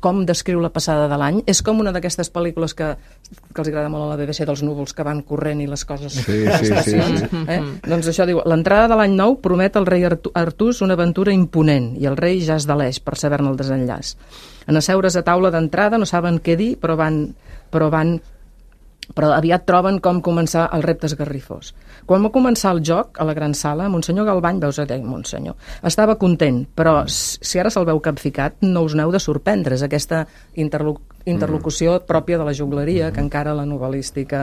com descriu la passada de l'any, és com una d'aquestes pel·lícules que els agrada molt a la BBC, dels núvols que van corrent i les coses... Sí. Doncs això diu, l'entrada de l'any nou promet al rei Artús una aventura imponent, i el rei ja es deleix per saber-ne el desenllaç. En asseure's a taula d'entrada no saben què dir, però aviat troben com començar el repte esgarrifós. Quan va començar el joc, a la gran sala, Monsenyor Galvany, veus a dir, Monsenyor, estava content, però si ara se'l veu capficat, no us n'heu de sorprendre. És aquesta interlocució pròpia de la jugleria que encara la novel·lística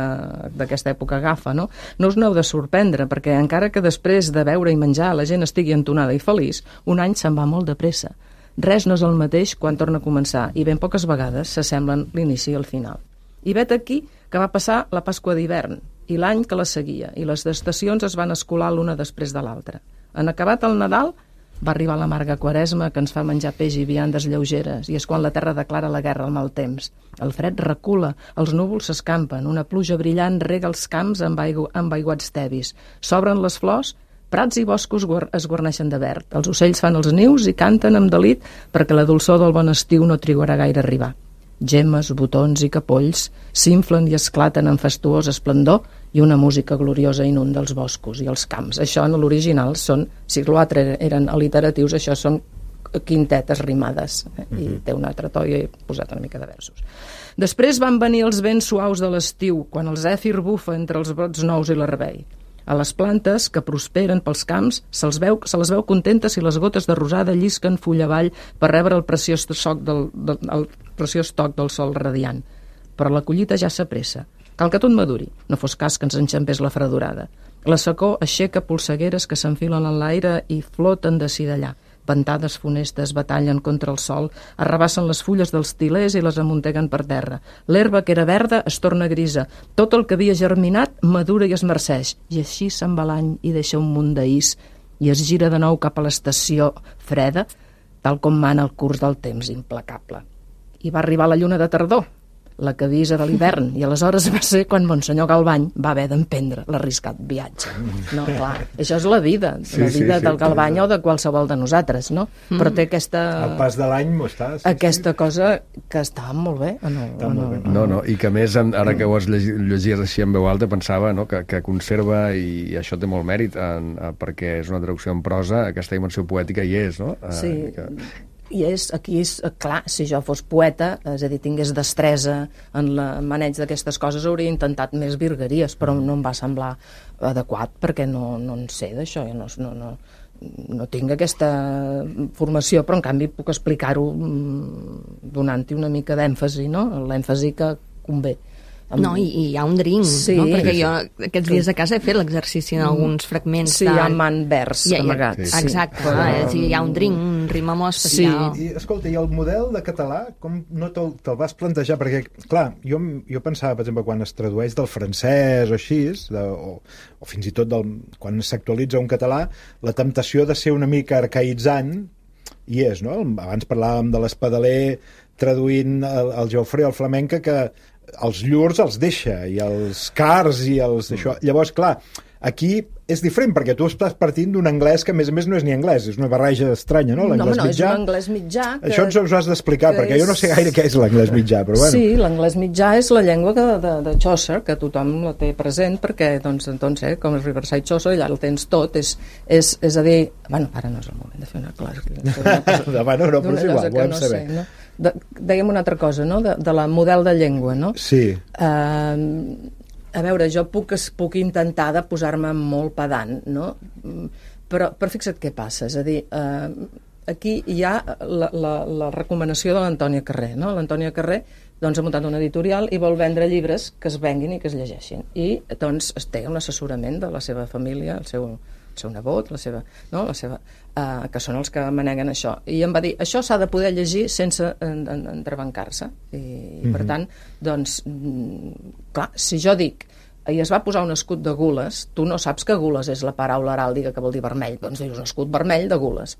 d'aquesta època agafa, no? No us n'heu de sorprendre, perquè encara que després de beure i menjar la gent estigui entonada i feliç, un any se'n va molt de pressa. Res no és el mateix quan torna a començar, i ben poques vegades s'assemblen l'inici i el final. I vet aquí que va passar la Pasqua d'hivern, i l'any que la seguia, i les estacions es van escolar l'una després de l'altra. En acabat el Nadal, va arribar l'amarga Quaresma, que ens fa menjar peix i viandes lleugeres, i és quan la terra declara la guerra al mal temps. El fred recula, els núvols s'escampen, una pluja brillant rega els camps amb aiguats tevis. S'obren les flors, prats i boscos es guarneixen de verd. Els ocells fan els nius i canten amb delit perquè la dolçor del bon estiu no trigarà gaire a arribar. Gemmes, botons i capolls s'inflen i esclaten amb fastuós esplendor, i una música gloriosa inunda els boscos i els camps. Això en l'original són, si l'altre eren alliteratius, això són quintetes rimades, i té un altre to i he posat una mica de versos. Després van venir els vents suaus de l'estiu, quan el zèfir bufa entre els brots nous i l'herbei. A les plantes que prosperen pels camps se les veu contentes si les gotes de rosada llisquen fulla avall per rebre el preciós toc del sol radiant. Però la collita ja s'apressa. Cal que tot maduri, no fos cas que ens enxampés la fredurada. La secor aixeca polsegueres que s'enfilen en l'aire i floten d'ací d'allà. Ventades funestes batallen contra el sol, arrabassen les fulles dels tilers i les amunteguen per terra. L'herba que era verda es torna grisa. Tot el que havia germinat madura i es marceix. I així se'n va l'any i deixa un munt d'ís i es gira de nou cap a l'estació freda, tal com mana el curs del temps implacable. I va arribar la lluna de tardor, la que avisa de l'hivern, i aleshores va ser quan Monsenyor Galvany va haver d'emprendre l'arriscat viatge. No, clar, això és la vida del Galvany o de qualsevol de nosaltres, no? Però té aquesta... El pas de l'any m'ho està... Aquesta cosa que està molt bé. No, i que més, ara que ho has llegit així en veu alta, pensava que conserva, i això té molt mèrit, perquè és una traducció en prosa, aquesta dimensió poètica hi és, no? Sí, i aquí és clar, si jo fos poeta, és a dir, tingués destresa en el maneig d'aquestes coses, hauria intentat més virgueries, però no em va semblar adequat perquè no en sé d'això, no tinc aquesta formació, però en canvi puc explicar-ho donant-hi una mica d'èmfasi, no? L'èmfasi que convé. No, i hi ha un drink, no? Perquè jo aquests dies a casa he fet l'exercici en alguns fragments. Sí, hi ha man vers amagats. Exacte, hi ha un drink, un rimamó especial. I escolta, i el model de català, com no te'l vas plantejar? Perquè, clar, jo pensava, per exemple, quan es tradueix del francès o així, o fins i tot quan s'actualitza un català, la temptació de ser una mica arcaïtzant hi és, no? Abans parlàvem de l'Espadaler traduint el Geoffrey al flamenc, que els llurs els deixa, i els cars i els d'això. Llavors, clar, aquí és diferent, perquè tu estàs partint d'un anglès que, a més no és ni anglès, és una barreja estranya, no? No, és un anglès mitjà. Això ens ho has d'explicar, perquè jo no sé gaire què és l'anglès mitjà, però bueno. Sí, l'anglès mitjà és la llengua de Chaucer, que tothom la té present, perquè, doncs, com és Riverside Chaucer, allà el tens tot, és a dir... Bueno, ara no és el moment de fer una classe. Bueno, però és igual, volem saber. No? Dèiem una altra cosa, no? De la model de llengua, no? Sí. A veure, jo puc intentar de posar-me molt pedant, no? Però fixa't què passa, és a dir, aquí hi ha la recomanació de l'Antònia Carré, no? L'Antònia Carré doncs, ha muntat una editorial i vol vendre llibres que es venguin i que es llegeixin. I doncs té un assessorament de la seva família, el seu nebot, que són els que maneguen això. I em va dir, això s'ha de poder llegir sense entrebancar-se. I per tant, doncs, clar, si jo dic i es va posar un escut de gules, tu no saps que gules és la paraula heràldica que vol dir vermell, doncs dius un escut vermell de gules.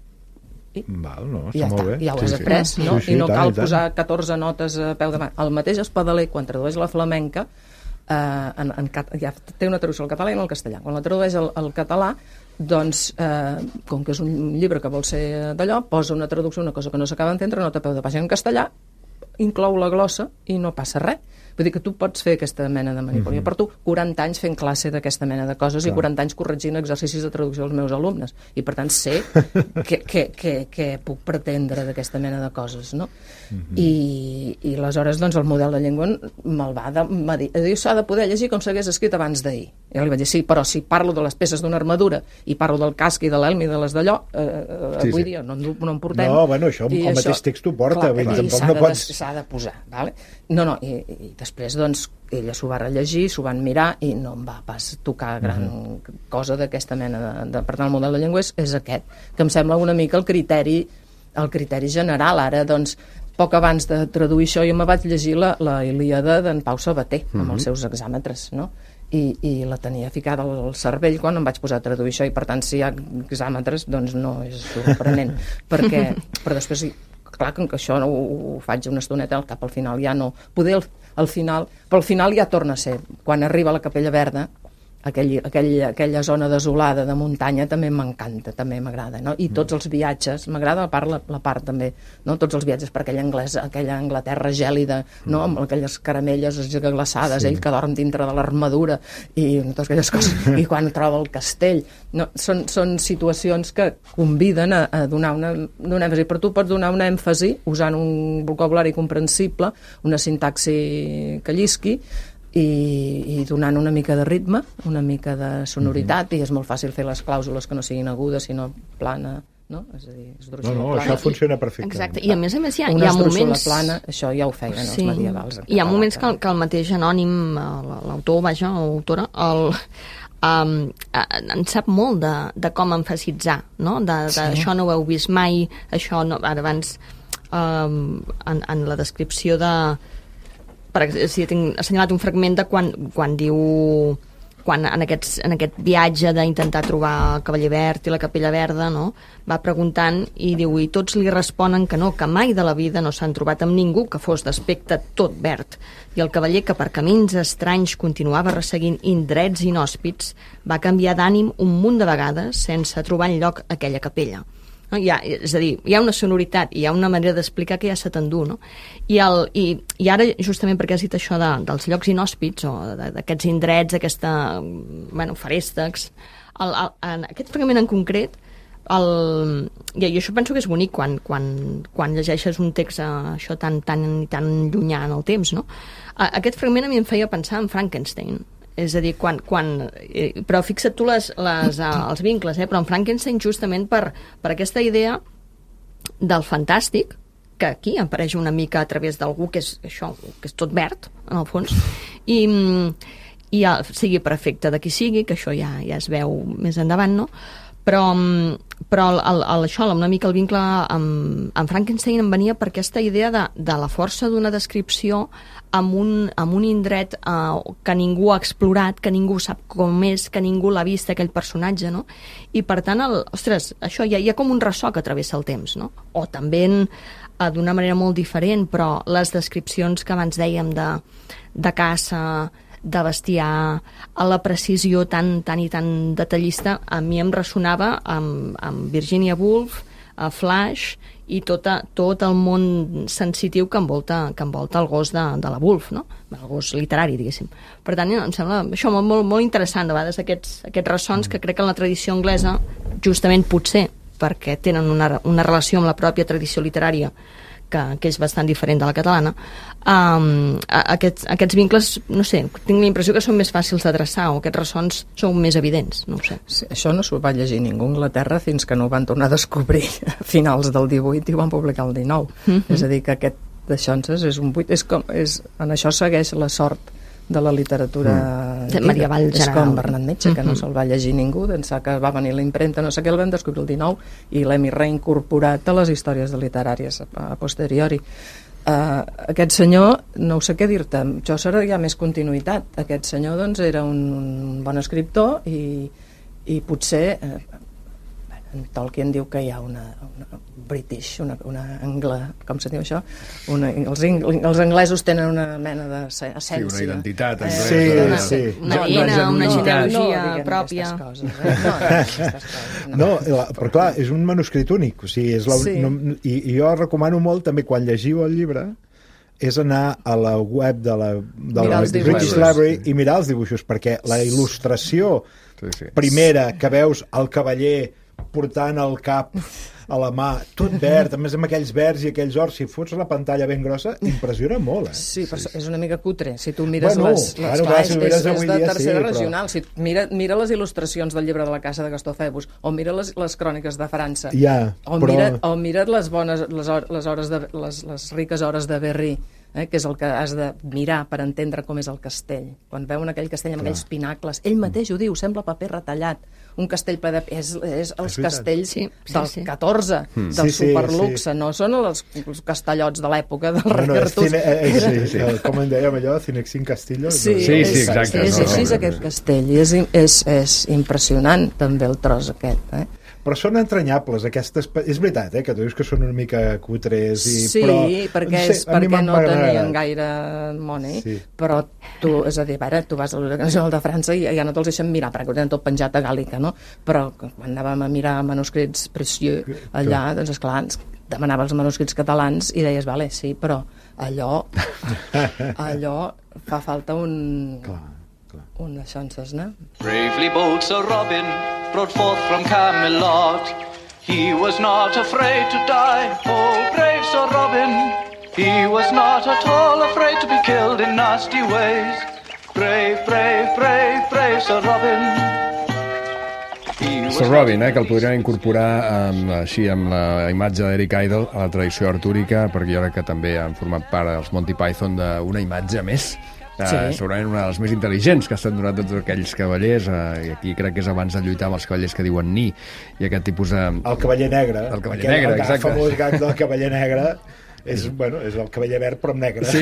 Val, no, ja està molt bé. Ja ho has après, no? I no cal posar 14 notes a peu de mà. El mateix Espadaler, quan tradueix la flamenca, ja té una traducció al català i al castellà. Quan la tradueix al català, doncs, com que és un llibre que vol ser d'allò, posa una traducció, una cosa que no s'acaba d'entendre, nota a peu de pàgina en castellà, inclou la glossa i no passa res. Vull dir que tu pots fer aquesta mena de manipulació. Per tu, 40 anys fent classe d'aquesta mena de coses i 40 anys corregint exercicis de traducció als meus alumnes. I, per tant, sé què puc pretendre d'aquesta mena de coses, no? I aleshores, doncs, el model de llengua me'l va dir, s'ha de poder llegir com s'hagués escrit abans d'ahir. I jo li vaig dir, sí, però si parlo de les peces d'una armadura i parlo del casc i de l'elm i de les d'allò, avui dia no en portem. No, bueno, això el mateix text ho porta. S'ha de posar, vale? No, i després, doncs, ella s'ho va rellegir, s'ho van mirar i no em va pas tocar gran cosa d'aquesta mena de... Per tant, el model de llengua és aquest, que em sembla una mica el criteri general. Ara, doncs, poc abans de traduir això, jo me vaig llegir la Ilíada d'en Pau Sabater, amb els seus hexàmetres, no? I la tenia ficada al cervell quan em vaig posar a traduir això, i per tant, si hi ha hexàmetres, doncs no és sorprenent, però després... Clar que això ho faig una estoneta, al cap al final ja no... Poder al final... Però al final ja torna a ser. Quan arriba a la Capella Verda, aquella zona desolada de muntanya també m'encanta, també m'agrada, no? I tots els viatges, m'agrada la part també, no? Tots els viatges per aquella Anglaterra gèlida, no? Amb aquelles caramelles glaçades, ell que dorm dintre de l'armadura i totes aquelles coses, i quan troba el castell, no? Són situacions que conviden a donar un èmfasi, però tu pots donar un èmfasi usant un vocabulari comprensible, una sintaxi que llisqui, i donant una mica de ritme, una mica de sonoritat, i és molt fàcil fer les clàusules que no siguin agudes, sinó plana, no? És a dir, esdrúixola plana. Això funciona perfectament. Exacte, i a més hi ha una moments... plana, això ja ho feien els medievals. Hi ha moments que el mateix anònim, l'autor, l'autora, en sap molt de com emfasitzar, no? Això no ho heu vist mai, això no... Ara abans, en la descripció de... Si tinc assenyalat un fragment de quan diu en aquest viatge d'intentar trobar el Cavaller Verd i la Capella Verda, no? Va preguntant i diu, i tots li responen que no, que mai de la vida no s'han trobat amb ningú que fos d'aspecte tot verd, i el cavaller, que per camins estranys continuava resseguint indrets inhòspits, va canviar d'ànim un munt de vegades sense trobar enlloc aquella capella. No? És a dir, hi ha una sonoritat, hi ha una manera d'explicar que ja se t'endú, no? I ara, justament perquè has dit això dels llocs inhòspits, o d'aquests indrets, feréstecs, en aquest fragment en concret, i això penso que és bonic quan llegeixes un text això tan llunyà en el temps, no? Aquest fragment a mi em feia pensar en Frankenstein. És a dir, però fixa't tu els vincles, però en Frankenstein justament per aquesta idea del fantàstic, que aquí apareix una mica a través d'algú que és tot verd, en el fons, i sigui per efecte de qui sigui, que això ja es veu més endavant, no? Però això, una mica el vincle amb Frankenstein em venia per aquesta idea de la força d'una descripció amb un indret que ningú ha explorat, que ningú sap com és, que ningú l'ha vist, aquell personatge, no? I per tant, això hi ha com un ressò que travessa el temps, no? O també d'una manera molt diferent, però les descripcions que abans dèiem de caça, de bestiar, a la precisió tan detallista, a mi em ressonava amb Virginia Woolf, a Flash i tot el món sensitiu que envolta el gos de la Woolf, no? El gos literari, diguéssim. Per tant, em sembla això molt, molt interessant, de vegades aquests ressons que crec que en la tradició anglesa, justament potser perquè tenen una relació amb la pròpia tradició literària que és bastant diferent de la catalana, aquests vincles, no sé, tinc la impressió que són més fàcils de traçar, o aquests ressons són més evidents, no ho sé. Sí, això no s'ho va llegir ningú a Anglaterra fins que no ho van tornar a descobrir a finals del 18 i ho van publicar el 19. És a dir, que aquest de Xonses és un buit, en això segueix la sort de la literatura medieval general. És com Bernat Metge, que no se'l va llegir ningú, d'ençà que va venir la impremta, no sé què, el vam descobrir el 19 i l'hem reincorporat a les històries literàries a posteriori. Aquest senyor, no ho sé què dir-te, això serà ja més continuïtat. Aquest senyor doncs era un bon escriptor i potser en Tolkien diu que hi ha una British, una com se diu això? Els anglesos tenen una mena d'essència. Sí, una identitat anglesa. Una genealogia pròpia. No, però clar, és un manuscrit únic, o sigui, i jo recomano molt també quan llegiu el llibre és anar a la web de la British Library i mirar els dibuixos, perquè la il·lustració primera que veus el cavaller portant el cap a la mà, tot verd, a més amb aquells verds i aquells ors, si fots la pantalla ben grossa, impressiona molt, Sí, però és una mica cutre. Si tu mires és de tercera regional. Si mira les il·lustracions del llibre de la Casa de Gastó Febus, o mira les cròniques de França, o mira les riques hores de Berry, que és el que has de mirar per entendre com és el castell. Quan veuen aquell castell amb aquells pinacles, ell mateix ho diu, sembla paper retallat. Un castell ple de... És els castells del 14, del superluxe, no són els castellots de l'època del rei Artús. Com en dèiem allò, Cinexin Castillo. Sí, exacte. És així aquest castell, i és impressionant també el tros aquest, Però són entranyables, aquestes... És veritat, que tu dius que són una mica cutres, però... Sí, perquè no tenien gaire money, però tu, és a dir, tu vas a l'Universitat Nacional de França i ja no te'ls deixen mirar, perquè ho tenen tot penjat a Gàl·lica, no? Però quan anàvem a mirar manuscrits precieux allà, doncs esclar, ens demanava els manuscrits catalans i deies, vale, sí, però allò fa falta un de Xonses, no? Bravely bold Sir Robin rode forth from Camelot. He was not afraid to die, oh brave Sir Robin. He was not at all afraid to be killed in nasty ways. Brave, brave, brave, brave Sir Robin. Sir Robin, que el podríem incorporar així amb la imatge d'Eric Idle a la tradició artúrica, perquè jo crec que també han format part dels Monty Python d'una imatge més, segurament una de les més intel·ligents que estan donant tots aquells cavallers, i aquí crec que és abans de lluitar amb els cavallers que diuen ni, i aquest tipus de... El cavaller negre. El cavaller negre, exacte. El famós gag del cavaller negre és el cavaller verd però amb negre. Sí,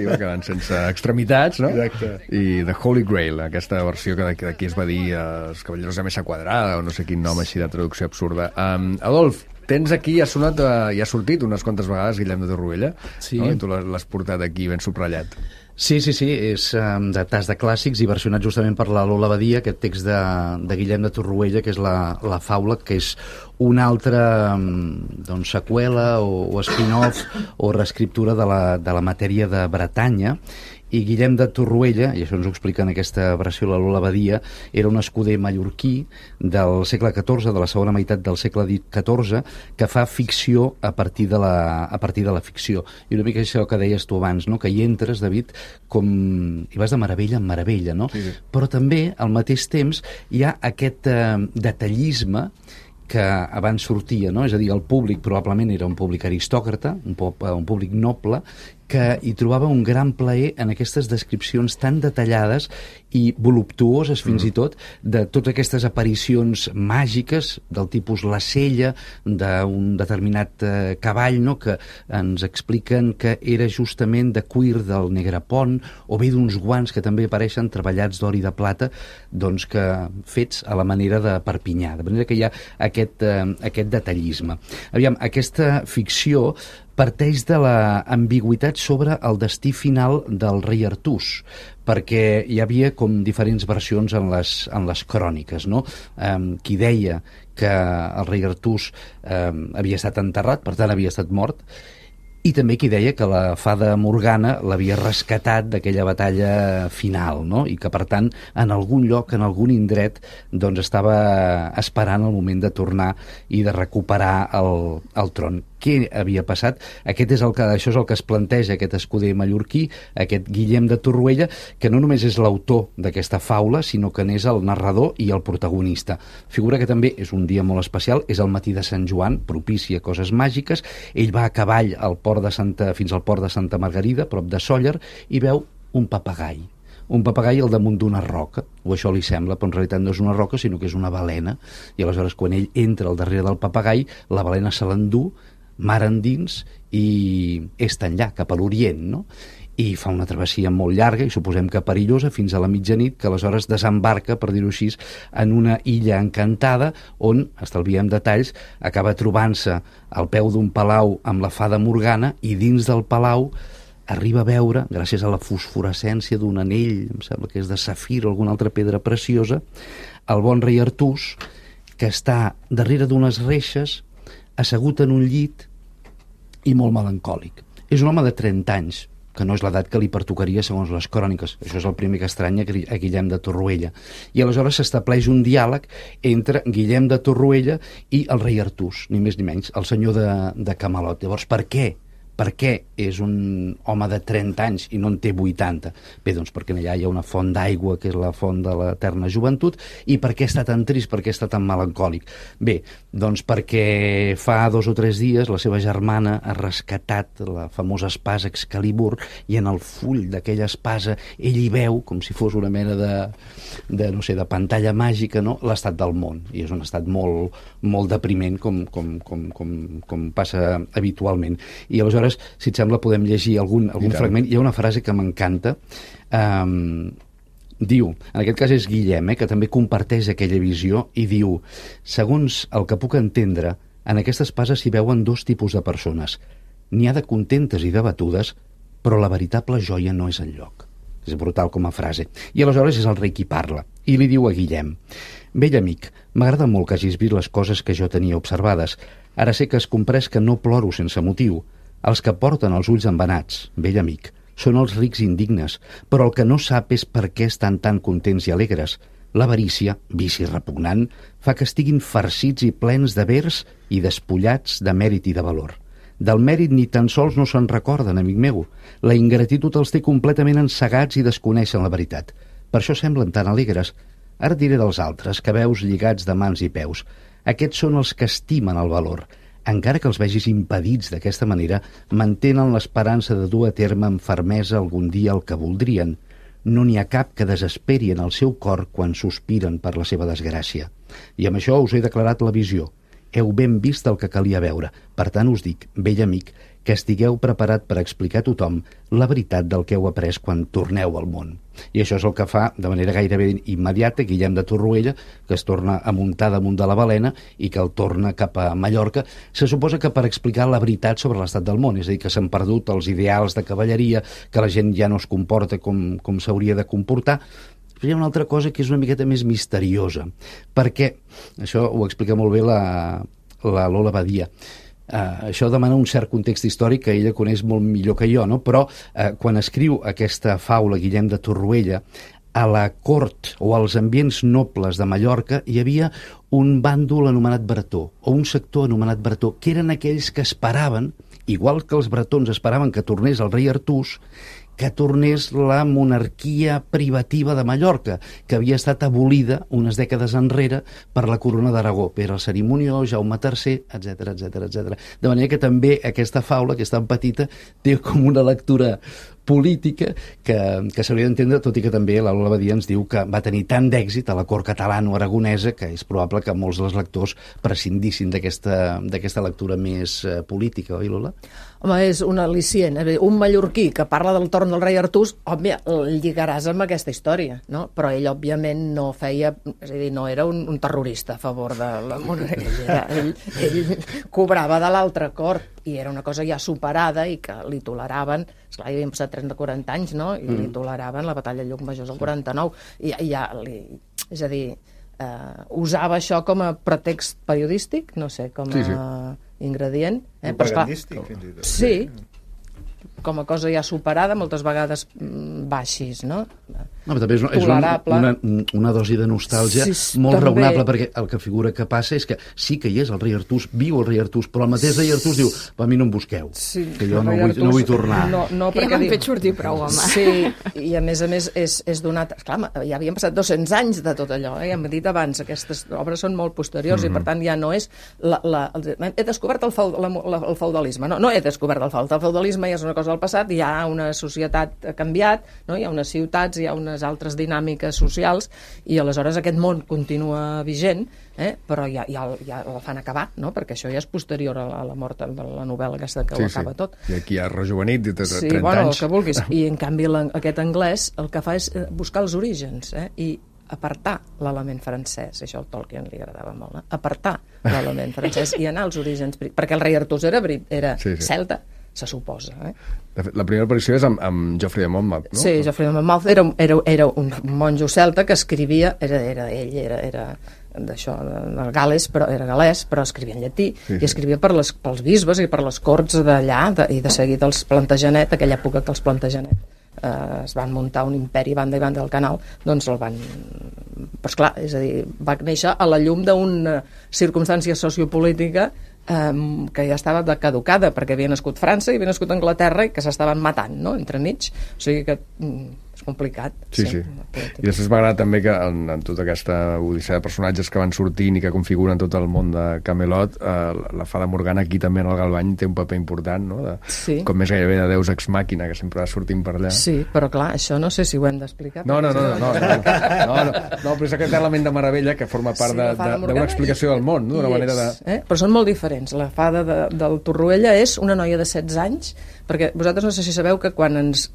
va quedant sense extremitats, no? Exacte. I The Holy Grail, aquesta versió que d'aquí es va dir els cavalleros de mesa quadrada, o no sé quin nom així de traducció absurda. Adolf, tens aquí, ha sortit unes quantes vegades Guillem de Torroella, no? I tu l'has portat aquí ben subratllat. Sí, és de tas de clàssics i versionat justament per la Lola Badia, aquest text de Guillem de Torroella, que és la faula, que és una altra seqüela o spin-off o reescriptura de la matèria de Bretanya. I Guillem de Torroella, i això ens ho explica en aquesta versió la Lola Badia, era un escuder mallorquí del segle XIV, de la segona meitat del segle XIV, que fa ficció a partir de la ficció. I una mica això que deies tu abans, no? Que hi entres, David, i vas de meravella en meravella, no? Sí. Però també, al mateix temps, hi ha aquest detallisme que abans sortia, no? És a dir, el públic probablement era un públic aristòcrata, un públic noble, que hi trobava un gran plaer en aquestes descripcions tan detallades i voluptuoses fins i tot de totes aquestes aparicions màgiques del tipus la sella d'un determinat cavall, no? Que ens expliquen que era justament de cuir del Negrepont, o bé d'uns guants que també apareixen treballats d'or i de plata, doncs que fets a la manera de Perpinyà, de manera que hi ha aquest detallisme. Aviam, aquesta ficció parteix de l'ambigüitat sobre el destí final del rei Artús, perquè hi havia com diferents versions en les cròniques, no? Qui deia que el rei Artús havia estat enterrat, per tant havia estat mort, i també qui deia que la fada Morgana l'havia rescatat d'aquella batalla final, no? I que, per tant, en algun lloc, en algun indret, doncs estava esperant el moment de tornar i de recuperar el tron. què havia passat. Això és el que es planteja aquest escuder mallorquí, aquest Guillem de Torroella, que no només és l'autor d'aquesta faula, sinó que n'és el narrador i el protagonista. Figura que també és un dia molt especial, és el matí de Sant Joan, propici a coses màgiques. Ell va a cavall fins al port de Santa Margarida, prop de Sóller, i veu un papagai. Un papagai al damunt d'una roca, o això li sembla, però en realitat no és una roca, sinó que és una balena. I aleshores, quan ell entra al darrere del papagai, la balena se l'endú, mar endins, i és tan allà, cap a l'Orient, no? I fa una travessia molt llarga, i suposem que perillosa, fins a la mitjanit, que aleshores desembarca, per dir-ho així, en una illa encantada, on, estalviem detalls, acaba trobant-se al peu d'un palau amb la fada Morgana, i dins del palau arriba a veure, gràcies a la fosforescència d'un anell, em sembla que és de safir o alguna altra pedra preciosa, el bon rei Artús, que està darrere d'unes reixes, assegut en un llit i molt melancòlic. És un home de 30 anys, que no és l'edat que li pertocaria segons les cròniques. Això és el primer que estranya a Guillem de Torroella. I aleshores s'estableix un diàleg entre Guillem de Torroella i el rei Artús, ni més ni menys, el senyor de Camelot. Llavors, per què? Per què és un home de 30 anys i no en té 80? Bé, doncs perquè allà hi ha una font d'aigua, que és la font de l'eterna joventut, i per què està tan trist, per què està tan melancòlic? Bé, doncs perquè fa 2 o 3 dies la seva germana ha rescatat la famosa espasa Excalibur, i en el full d'aquella espasa ell hi veu, com si fos una mena de pantalla màgica, no?, l'estat del món, i és un estat molt, molt depriment, com passa habitualment. I aleshores, si et sembla, podem llegir algun fragment. Hi ha una frase que m'encanta. Diu, en aquest cas és Guillem, que també comparteix aquella visió, i diu: segons el que puc entendre, en aquesta espasa s'hi veuen 2 tipus de persones. N'hi ha de contentes i debatudes, però la veritable joia no és enlloc. És brutal com a frase. I aleshores és el rei qui parla, i li diu a Guillem: vell amic, m'agrada molt que hagis vist les coses que jo tenia observades. Ara sé que has comprès que no ploro sense motiu. Els que porten els ulls embenats, vell amic, són els rics indignes, però el que no sap és per què estan tan contents i alegres. L'avarícia, vici repugnant, fa que estiguin farcits i plens de vers i despullats de mèrit i de valor. Del mèrit ni tan sols no se'n recorden, amic meu. La ingratitud els té completament ensegats i desconeixen la veritat. Per això semblen tan alegres. Ara diré dels altres, que veus lligats de mans i peus. Aquests són els que estimen el valor. Encara que els vegis impedits d'aquesta manera, mantenen l'esperança de dur a terme amb fermesa algun dia el que voldrien. No n'hi ha cap que desesperi en el seu cor quan sospiren per la seva desgràcia. I amb això us he declarat la visió. Heu ben vist el que calia veure. Per tant us dic, vell amic, que estigueu preparat per explicar a tothom la veritat del que heu après quan torneu al món. I això és el que fa, de manera gairebé immediata, Guillem de Torroella, que es torna a muntar damunt de la balena i que el torna cap a Mallorca. Se suposa que per explicar la veritat sobre l'estat del món, és a dir, que s'han perdut els ideals de cavalleria, que la gent ja no es comporta com s'hauria de comportar. Però hi ha una altra cosa que és una miqueta més misteriosa, perquè, això ho explica molt bé la Lola Badia, això demana un cert context històric que ella coneix molt millor que jo, no? Però quan escriu aquesta faula Guillem de Torroella, a la cort o als ambients nobles de Mallorca hi havia un bàndol anomenat bretó, o un sector anomenat bretó, que eren aquells que esperaven, igual que els bretons esperaven que tornés el rei Artús, que tornés la monarquia privativa de Mallorca, que havia estat abolida unes dècades enrere per la corona d'Aragó, Pere el Cerimoniós, Jaume III, etc etc. De manera que també aquesta faula, que és tan petita, té com una lectura política que s'hauria d'entendre, tot i que també la Lola Badia ens diu que va tenir tant d'èxit a la cort catalano-aragonesa que és probable que molts dels lectors prescindissin d'aquesta lectura més política, oi, Lola? Home, és un al·licient. Un mallorquí que parla del torn del rei Artús, òbvia, el lligaràs amb aquesta història, no? Però ell, òbviament, no feia... És a dir, no era un terrorista a favor de la monarquia. Ell cobrava de l'altra cort i era una cosa ja superada i que li toleraven... Esclar, hi havien passat 30-40 anys, no? I li toleraven la batalla de Llucmajors al 49. És a dir, usava això com a pretext periodístic, no sé, com a ingredient. Propagandístic, fins i tot. Sí, com a cosa ja superada, moltes vegades baixis, no? No, però també és tolerable. una dosi de nostàlgia molt també raonable, perquè el que figura que passa és que sí que hi és el rei Artús, viu el rei Artús, però el mateix rei Artús diu, a mi no em busqueu, que jo no vull tornar. No, que ja m'han fet sortir prou, home. Sí, i a més és donat... Esclar, ja havien passat 200 anys de tot allò, ja hem dit abans, aquestes obres són molt posteriors i per tant ja no és... He descobert el feudalisme, no he descobert el feudalisme, ja és una cosa del passat, hi ha una societat ha canviat, no? Hi ha unes ciutats, hi ha unes altres dinàmiques socials i aleshores aquest món continua vigent, però ja la fan acabar, no? Perquè això ja és posterior a la mort de la novel·la aquesta que ho acaba tot. I aquí ha rejuvenit de 30 anys. Sí, el que vulguis. I en canvi aquest anglès el que fa és buscar els orígens i apartar l'element francès, això al Tolkien li agradava molt, apartar l'element francès i anar als orígens, perquè el rei Artús era celta, se suposa. De fet, la primera aparició és amb Geoffrey de Monmouth, no? Sí, Geoffrey de Monmouth era un monjo celta que escrivia, era d'això, del Gales, però era galès, però escrivia en llatí, i escrivia pels bisbes i per les corts d'allà, i de seguida els Plantagenet, aquella època que els Plantagenet es van muntar un imperi banda i banda del canal, doncs el van... Però esclar, és a dir, va néixer a la llum d'una circumstància sociopolítica que ja estava caducada, perquè havia nascut França i havia nascut Anglaterra i que s'estaven matant, no?, entremig. O sigui que és complicat. Sí. I després m'agrada també que en tota aquesta odissea de personatges que van sortint i que configuren tot el món de Camelot, la Fada Morgana aquí també en el Galvany té un paper important, no? Com més gairebé de Deus Ex Machina, que sempre va sortint per allà. Sí, però clar, això no sé si ho hem d'explicar. No, però és aquest element de meravella que forma part d'una explicació del món, no? D'una manera de... Però són molt diferents. La fada del Torroella és una noia de 16 anys, perquè vosaltres no sé si sabeu que quan ens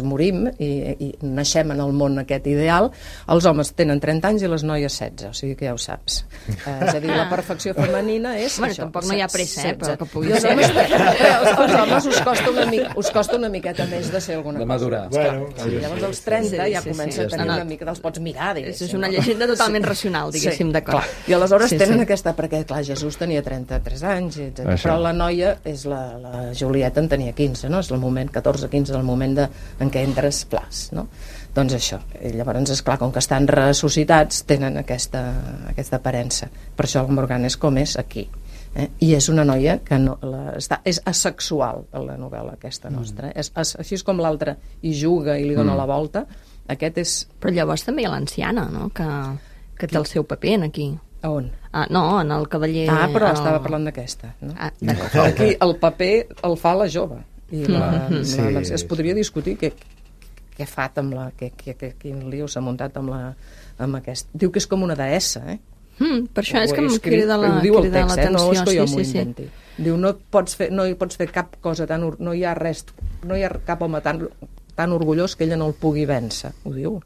morim i naixem en el món aquest ideal, els homes tenen 30 anys i les noies 16, o sigui que ja ho saps. És a dir, la perfecció femenina és... Bueno, això, tampoc no hi ha pressa, però que pugui ser. Els homes us costa una miqueta més de ser alguna cosa. De madurar. Llavors als 30 ja comença a tenir una mica... Els pots mirar, diguéssim. És una llegenda totalment racional, diguéssim, d'acord. I aleshores tenen aquesta... Perquè, clar, Jesús tenia 33 anys, etc. Però la noia, la Julieta en tenia 15, no? És el moment, 14-15, el moment en què entres plas, no? Doncs això. I llavors, esclar, com que estan ressuscitats, tenen aquesta aparença. Per això el Morgana és com és aquí. I és una noia que és asexual, la novel·la aquesta nostra. Així és com l'altra hi juga i li dona la volta, aquest és... Però llavors també hi ha l'anciana, no?, que té el seu paper aquí. A on? No, en el cavaller... Però estava parlant d'aquesta. No? D'acord. Aquí el paper el fa la jove. I es podria discutir què fa amb quin lío s'ha muntat amb aquest... Diu que és com una deessa, per això és que em crida l'atenció. Ho diu el text, no és que jo m'ho inventi. Diu, no hi pots fer cap cosa no hi ha res, no hi ha cap home tan orgullós que ella no el pugui vèncer, ho diu.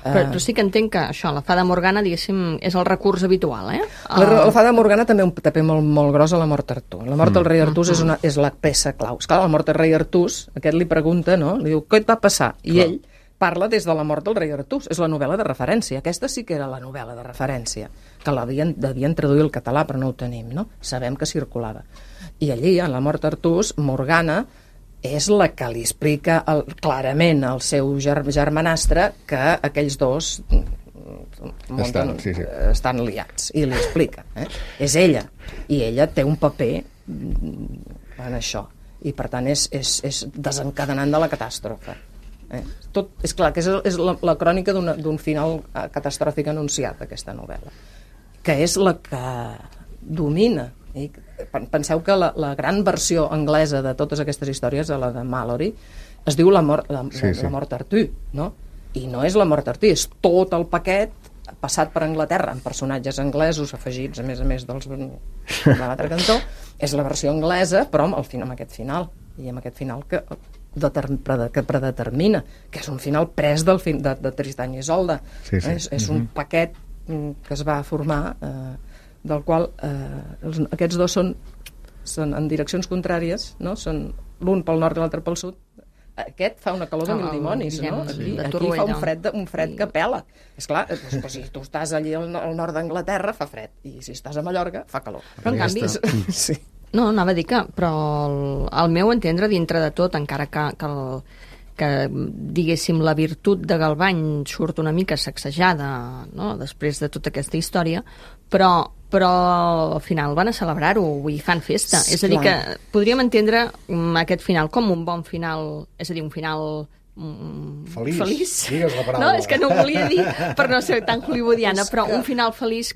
Però sí que entenc que això, la Fada Morgana, diguéssim, és el recurs habitual, La Fada Morgana també un paper molt gros a la mort d'Artús. La mort del rei Artús és la peça clau. Esclar, la mort del rei Artús, aquest li pregunta, no? Li diu, què et va passar? I ell parla des de la mort del rei Artús. És la novel·la de referència. Aquesta sí que era la novel·la de referència, que devien traduir al català, però no ho tenim, no? Sabem que circulava. I allí, en la mort d'Artús, Morgana és la que li explica clarament al seu germanastre que aquells dos estan liats, i li explica. És ella, i ella té un paper en això, i per tant és desencadenant de la catàstrofe. Tot, és clar que és la crònica d'un final catastròfic anunciat, aquesta novel·la, que és la que domina. Penseu que la gran versió anglesa de totes aquestes històries, la de Malory, es diu la mort d'Artús, no? I no és la mort d'Artús, és tot el paquet passat per Anglaterra, amb personatges anglesos afegits, a més dels de l'altre cantó. És la versió anglesa, però amb aquest final, i amb aquest final que predetermina, que és un final pres de Tristany i Isolda. És un paquet que es va formar... del qual aquests dos són en direccions contràries, no? Són l'un pel nord i l'altre pel sud. Aquest fa una calor de mil dimonis, no? Aquí fa un fred que pela. Esclar, si tu estàs allí al nord d'Anglaterra fa fred, i si estàs a Mallorca fa calor. Però en canvi... No, anava a dir que, però al meu entendre, dintre de tot, encara que diguéssim, la virtut de Galvany surt una mica sacsejada, no?, després de tota aquesta història, però al final van a celebrar-ho, vull dir, fan festa. És a dir, que podríem entendre aquest final com un bon final, és a dir, un final feliç. Digues la paraula. No, és que no ho volia dir per no ser tan hollywoodiana, però un final feliç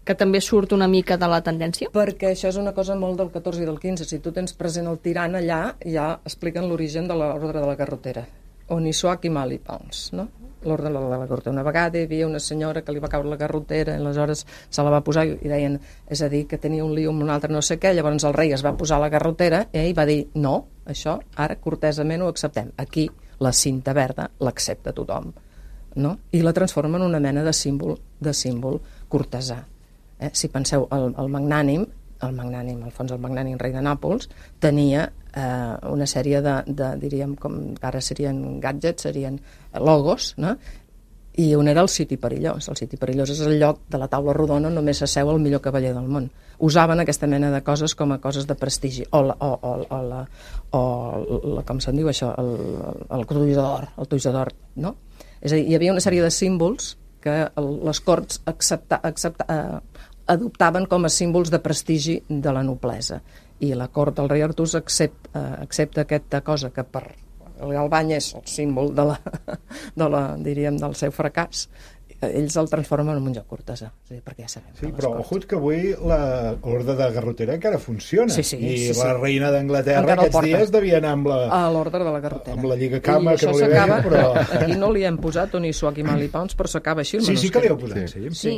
que també surt una mica de la tendència. Perquè això és una cosa molt del 14 i del 15. Si tu tens present el tirant allà, ja expliquen l'origen de l'ordre de la garrotera. Onissuach i Mali Pounds, no? L'ordre de la garrotera. Una vegada hi havia una senyora que li va caure la garrotera i aleshores se la va posar i deien, és a dir, que tenia un lío amb un altre no sé què, llavors el rei es va posar la garrotera i ell va dir, no, això ara cortesament ho acceptem. Aquí la cinta verda l'accepta tothom, no? I la transforma en una mena de símbol cortesà. Si penseu, el magnànim, Alfons el Magnànim, rei de Nàpols, tenia una sèrie de diríem, com ara serien gadgets, serien logos, no? I un era el siti perillós. El siti perillós és el lloc de la taula rodona on només s'asseu el millor cavaller del món. Usaven aquesta mena de coses com a coses de prestigi. Com se'n diu això? El toix d'or, no? És a dir, hi havia una sèrie de símbols que les corts adoptaven com a símbols de prestigi de la noblesa. I la cort del rei Artús accepta aquesta cosa que per el Galvany és el símbol diríem, del seu fracàs. Ells el transformen en un lloc cortesà, perquè ja sabem. Sí, però ojut que avui l'ordre de garrotera encara funciona. Sí, la reina d'Anglaterra aquests dies devia anar amb l'ordre de la garrotera. Amb la lligacama, que no li veia, però... Aquí no li hem posat Onissuach i Mali Pounds, però s'acaba així el manuscrit. Sí que li heu posat, sí.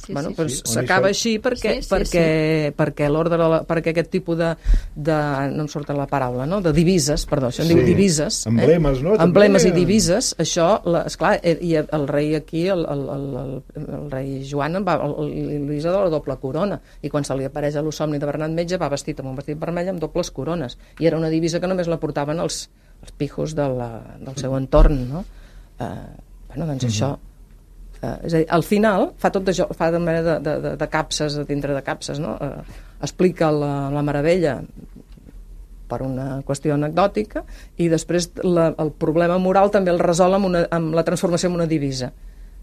Bueno, s'acaba així perquè l'ordre, perquè aquest tipus de no em surt la paraula, no? De divises, perdó, això en diu divises. Emblemes, no? Emblemes i divises, això, esclar, i el rei aquí, el rei Joan li de la doble corona, i quan se li apareix a l'Osomni de Bernat Metge va vestit amb un vestit vermell amb dobles corones, i era una divisa que només la portaven els pijos del seu entorn, no? Doncs això, és a dir, al final fa tot això, fa de manera de capses, dintre de capses, no? Explica la meravella per una qüestió anecdòtica, i després el problema moral també el resol amb la transformació en una divisa.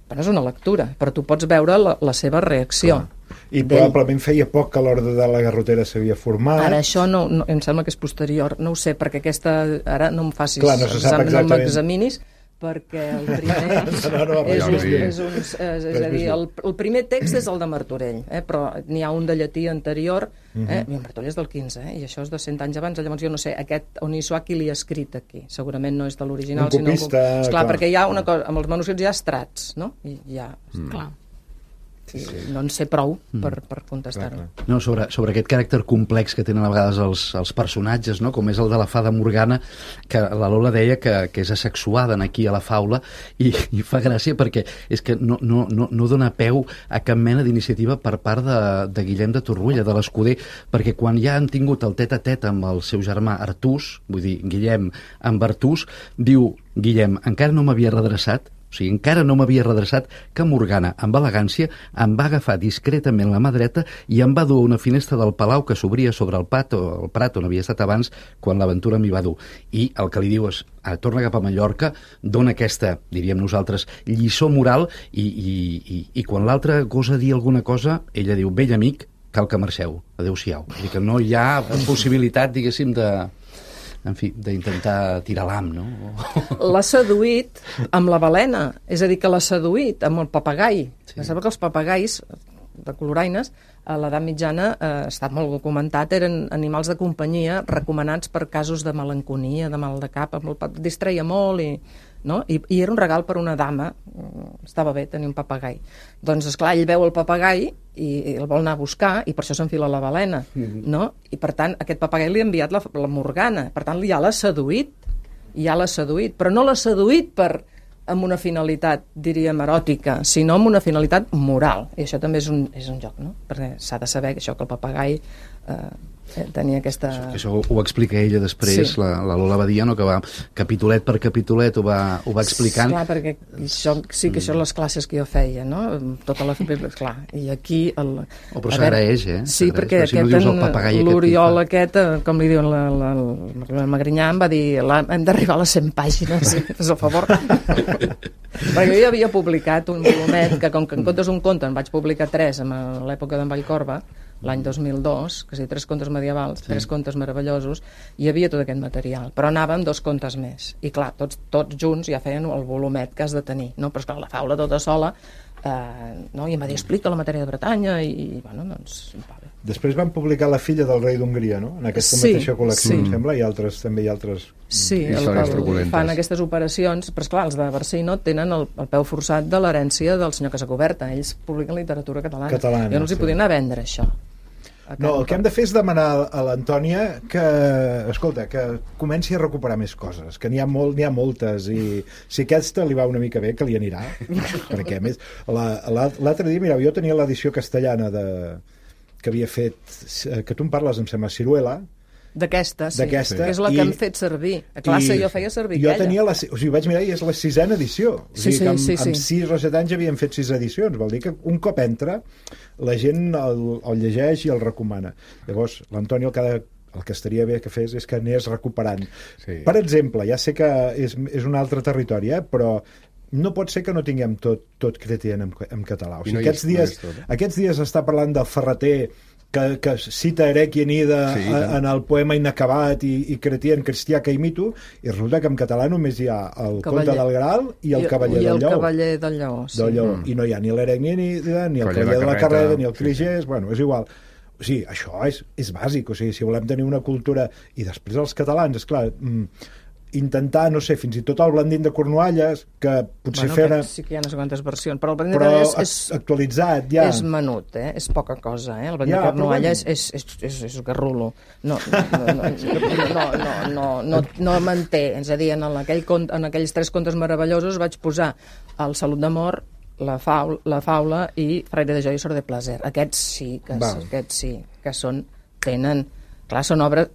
Però és una lectura, però tu pots veure la seva reacció. I probablement feia poc que l'ordre de la garrotera s'havia format. Ara això no, em sembla que és posterior, no ho sé, perquè aquesta, ara no em facis, clar, no se sap exactament. No m'examinis, perquè el primer és a dir, el primer text és el de Martorell, però n'hi ha un de llatí anterior, Martorell és del 15, i això és de 100 anys abans, llavors jo no sé, aquest Onissuach qui li ha escrit aquí, segurament no és de l'original, un copista, sinó perquè hi ha una cosa, amb els manuscrits hi ha estrats, no? I ja, clar. Sí. No en sé prou per contestar-ho. No, sobre aquest caràcter complex que tenen a vegades els personatges, no? Com és el de la fada Morgana, que la Lola deia que és asexuada aquí a la faula, i fa gràcia perquè és que no dona peu a cap mena d'iniciativa per part de Guillem de Torroella, de l'Escuder, perquè quan ja han tingut el tet-a-tet amb el seu germà Artús, vull dir, Guillem amb Artús, diu Guillem, encara no m'havia redreçat, o sigui, encara no m'havia redreçat que Morgana, amb elegància, em va agafar discretament la mà dreta i em va dur a una finestra del palau que s'obria sobre el prat on havia estat abans quan l'aventura m'hi va dur. I el que li diu és, torna cap a Mallorca, dona aquesta, diríem nosaltres, lliçó moral i quan l'altre gosa dir alguna cosa, ella diu, vell amic, cal que marxeu, adeu-siau. Vull dir que no hi ha possibilitat, diguéssim, d'intentar tirar l'am, no? L'ha seduït amb la balena, és a dir, que l'ha seduït amb el papagai. Sí. Sembla que els papagais de coloraines a l'edat mitjana, està molt documentat, eren animals de companyia recomanats per casos de malenconia, de mal de cap, distreia molt i era un regal per una dama, estava bé tenir un papagai. Doncs esclar, ell veu el papagai i el vol anar a buscar i per això s'enfila la balena, no? I per tant aquest papagai li ha enviat la Morgana, per tant ja l'ha seduït, però no l'ha seduït amb una finalitat, diríem, eròtica, sinó amb una finalitat moral, i això també és un joc, no? Perquè s'ha de saber que això, que el papagai tenia aquesta... Això ho explica ella després, Sí. la Lola Badia, no? Que va capitolet per capitolet ho va explicant. Clar, perquè això, sí que això les classes que jo feia, no? Tota la... Clar, i aquí... Però s'agraeix, Sí, s'agraeix, perquè si no dius el papagai l'Oriol aquest, com li diuen la Magrinyà, em va dir hem d'arribar a les 100 pàgines, fes el favor. Perquè jo ja havia publicat un volumet que, com que en comptes un conte en vaig publicar 3 a l'època d'en Vallcorba, l'any 2002, que és 3 contes medievals, 3 contes meravellosos, hi havia tot aquest material, però anàvem 2 contes més, i clar, tots junts ja feien el volumet que has de tenir, no? Però esclar, la faula tota sola, no? I em va dir, explica la matèria de Bretanya, i bueno, doncs, vale. Després van publicar La filla del rei d'Hongria, no? En aquesta mateixa col·lecció, em sembla, i també hi ha altres... Sí, històries truculentes. fan aquestes operacions, però esclar, els de Barcino tenen el peu forçat de l'herència del senyor Casacoberta, ells publiquen literatura catalana. Jo no els hi podia anar a vendre això. No, el que hem de fer és demanar a l'Antònia que, escolta, que comenci a recuperar més coses, que n'hi ha moltes, i si aquesta li va una mica bé, que li anirà, perquè a més, l'altre dia, mireu, jo tenia l'edició castellana que havia fet, que tu em parles, em sembla, Ciruela, D'aquesta, sí. D'aquesta, que és la que hem fet servir. A classe jo feia servir aquella. Jo tenia o sigui, vaig mirar i és la 6ª edició. O sigui que amb 6 o 7 anys havíem fet 6 edicions. Vol dir que un cop entra, la gent el llegeix i el recomana. Llavors, l'Antoni el que estaria bé que fes és que anés recuperant. Sí. Per exemple, ja sé que és un altre territori, però no pot ser que no tinguem tot Chrétien en català. O sigui, aquests dies està parlant del Ferreter que cita Erequienida en el poema inacabat i Chrétien cristià que imito, i resulta que en català només hi ha el Conte del Graal i el Cavaller del Lleó. I el Cavaller del Lleó, sí. I no hi ha ni l'Erequienida, ni el Cavaller de la Carrera, ni el Cligès, bueno, és igual. O sigui, això és bàsic, o sigui, si volem tenir una cultura... I després els catalans, esclar, intentar, no sé, fins i tot el Blandín de Cornualles, que potser fer... Sí que hi ha unes quantes versions, però el Blandín de Cornualles actualitzat, ja... És menut, és poca cosa, El Blandín de Cornualles és garrulo. No manté, és a dir, en aquells 3 contes meravellosos vaig posar el Salut d'Amor, la faula i Fraire de Joia i Sor de Placer. Aquests sí, que tenen... Clar, són obres...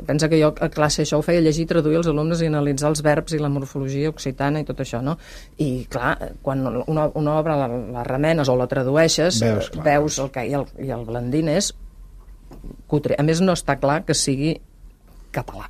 Pensa que jo a classe això ho feia llegir, traduir els alumnes i analitzar els verbs i la morfologia occitana i tot això, no? I, clar, quan una obra la remenes o la tradueixes, veus el que... I el Blandín és cutre. A més, no està clar que sigui català.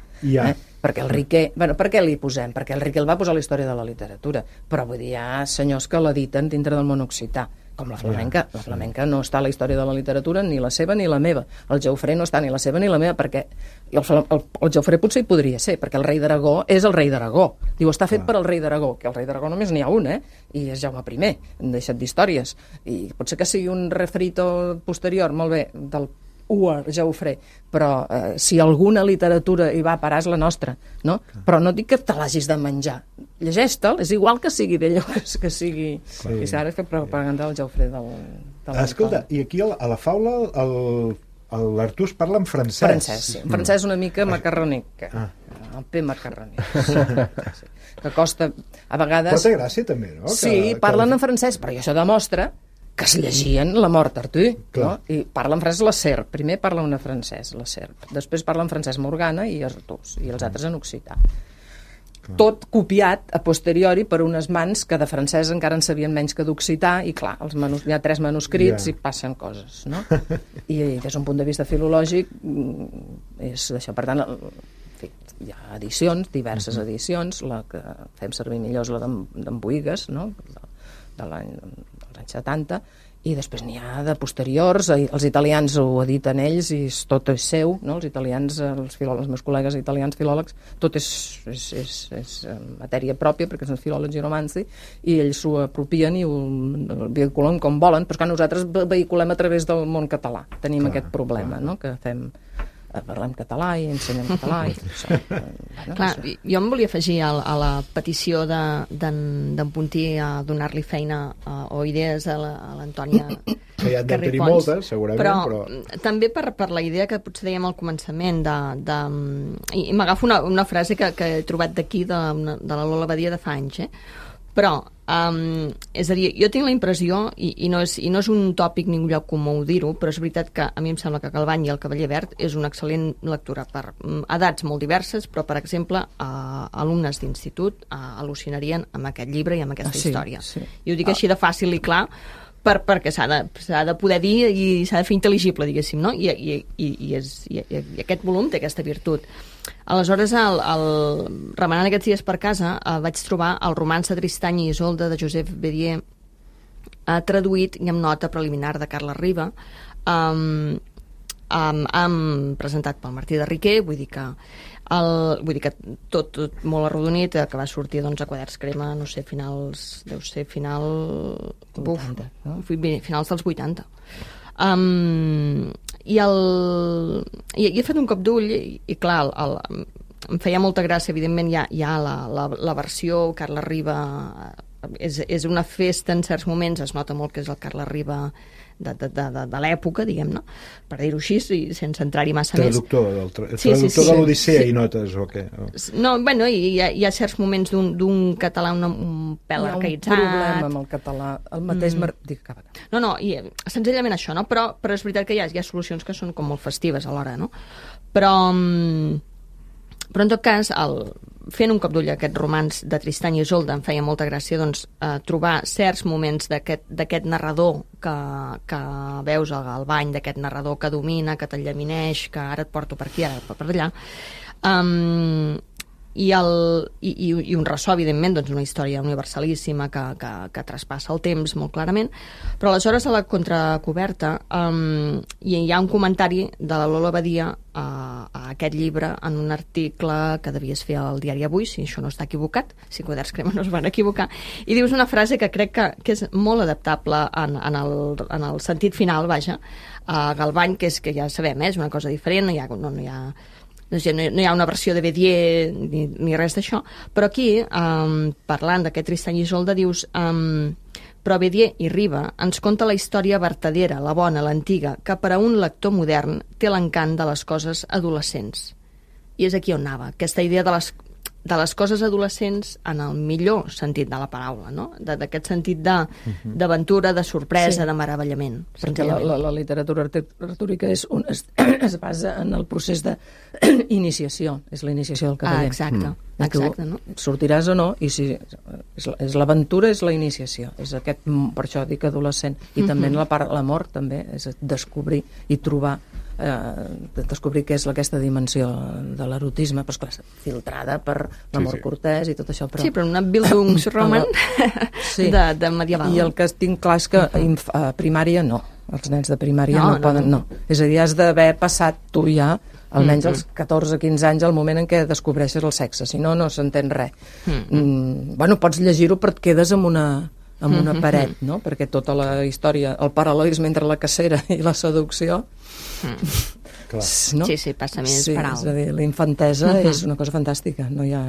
Perquè el Riquer... Per què li posem? Perquè el Riquer el va posar a la història de la literatura. Però vull dir, hi ha senyors que l'editen dintre del món occità. Com la flamenca. La flamenca no està a la història de la literatura, ni la seva ni la meva. El Geofrer no està ni la seva ni la meva, perquè el Geofrer potser hi podria ser, perquè el rei d'Aragó és el rei d'Aragó. Diu, està fet per al rei d'Aragó, que el rei d'Aragó només n'hi ha un, i és Jaume I, hem deixat d'històries. I potser que sigui un refrito posterior, molt bé, del Geofrer, però si alguna literatura hi va a parar és la nostra, no? Però no dic que te l'hagis de menjar, llegeix-te'l, és igual que sigui d'ell que sigui... I ara és fer propaganda del Geofrer Escolta, i aquí a la faula l'Artús parla en francès. Francès, sí. En francès una mica macarrònic, el P macarrònic, que costa a vegades... Però té gràcia també, no? Sí, parlen en francès, però això demostra que es llegien la mort Artús, no? I parla en francès la Serp. Primer parla una francès, la Serp. Després parla en francès Morgana i Artús, i els altres en occità. Tot copiat a posteriori per unes mans que de francès encara en sabien menys que d'occità, i clar, hi ha 3 manuscrits i passen coses, no? I des d'un punt de vista filològic és d'això. Per tant, hi ha edicions, diverses edicions, la que fem servir millor és la d'en Boïgues, no? De l'any 70, i després n'hi ha de posteriors, els italians ho editen ells i tot és seu, no? Els italians, els meus col·legues italians filòlegs, tot és matèria pròpia, perquè són filòlegs i romanci, i ells s'ho apropien i ho vehiculen com volen, però que nosaltres vehiculem a través del món català. Tenim aquest problema, no? Que parlem català i ensenyem català i tot això. Clar, jo em volia afegir a la petició d'en Puntí a donar-li feina o idees a l'Antònia que ja en deu tenir moltes, segurament, però... també per la idea que potser dèiem al començament i m'agafo una frase que he trobat d'aquí de la Lola Badia de fa anys, però És a dir, jo tinc la impressió, i no és un tòpic ni un lloc comú dir-ho, però és veritat que a mi em sembla que Galvany i el Cavaller Verd és una excel·lent lectura per edats molt diverses, però, per exemple, alumnes d'institut al·lucinarien amb aquest llibre i amb aquesta història. Sí. I ho dic així de fàcil i clar, perquè s'ha de poder dir i s'ha de fer intel·ligible, diguéssim, no? I aquest volum té aquesta virtut. Aleshores, remenant aquests dies per casa, vaig trobar el romanç de Tristany i Isolda de Josep Bédier, traduït i amb nota preliminar de Carles Riba, presentat pel Martí de Riquer, vull dir que tot molt arrodonit, que va sortir a Quaderns Crema, no sé, finals dels 80. I he fet un cop d'ull i clar, em feia molta gràcia, evidentment hi ha la versió Carles Riba, és una festa en certs moments, es nota molt que és el Carles Riba de l'època, diguem-ne, per dir-ho així, sense entrar-hi massa més. Traductor de l'Odissea i notes, o què? No, bueno, hi ha certs moments d'un català un pèl arcaïtzat. Hi ha un problema amb el català, el mateix... No, senzillament això, no? Però és veritat que hi ha solucions que són com molt festives alhora, no? Però en tot cas, fent un cop d'ull a aquest romanç de Tristany i Isolda, em feia molta gràcia trobar certs moments d'aquest narrador que veus al bany, d'aquest narrador que domina, que t'enllamineix, que ara et porto per aquí, ara per allà, i un ressò, evidentment, una història universalíssima que traspassa el temps molt clarament, però aleshores a la contracoberta hi ha un comentari de la Lola Badia a aquest llibre en un article que devies fer al diari Avui, si això no està equivocat, si Quaderns Crema no es van equivocar, i dius una frase que crec que és molt adaptable en el sentit final, vaja, a Galvany, que és que ja sabem, és una cosa diferent, no hi ha una versió de Bédier ni res d'això, però aquí, parlant d'aquest Tristany i Isolda, dius... Però Bédier i Riba ens conta la història vertadera, la bona, l'antiga, que per a un lector modern té l'encant de les coses adolescents. I és aquí on anava, aquesta idea de les coses adolescents en el millor sentit de la paraula, no? D'aquest sentit d'aventura, de sorpresa, de meravellament. Perquè la literatura artúrica es basa en el procés d'iniciació, és la iniciació del cavaller. Exacte, no? Sortiràs o no, i si és l'aventura, és la iniciació, és aquest, per això dic adolescent, i també l'amor també és descobrir i trobar, descobrir què és aquesta dimensió de l'erotisme, però esclar, filtrada per l'amor cortès i tot això, però... Sí, però una Bildungsroman de medieval. I el que tinc clar és que a primària no, els nens de primària no poden, no. És a dir, has d'haver passat tu ja almenys als 14-15 anys, el moment en què descobreixes el sexe, si no, no s'entén res. Bueno, pots llegir-ho però et quedes amb una paret, no? Perquè tota la història, el paral·lelisme entre la cacera i la seducció... No? Sí, passa més per alt. És a dir, la infantesa és una cosa fantàstica, no hi ha...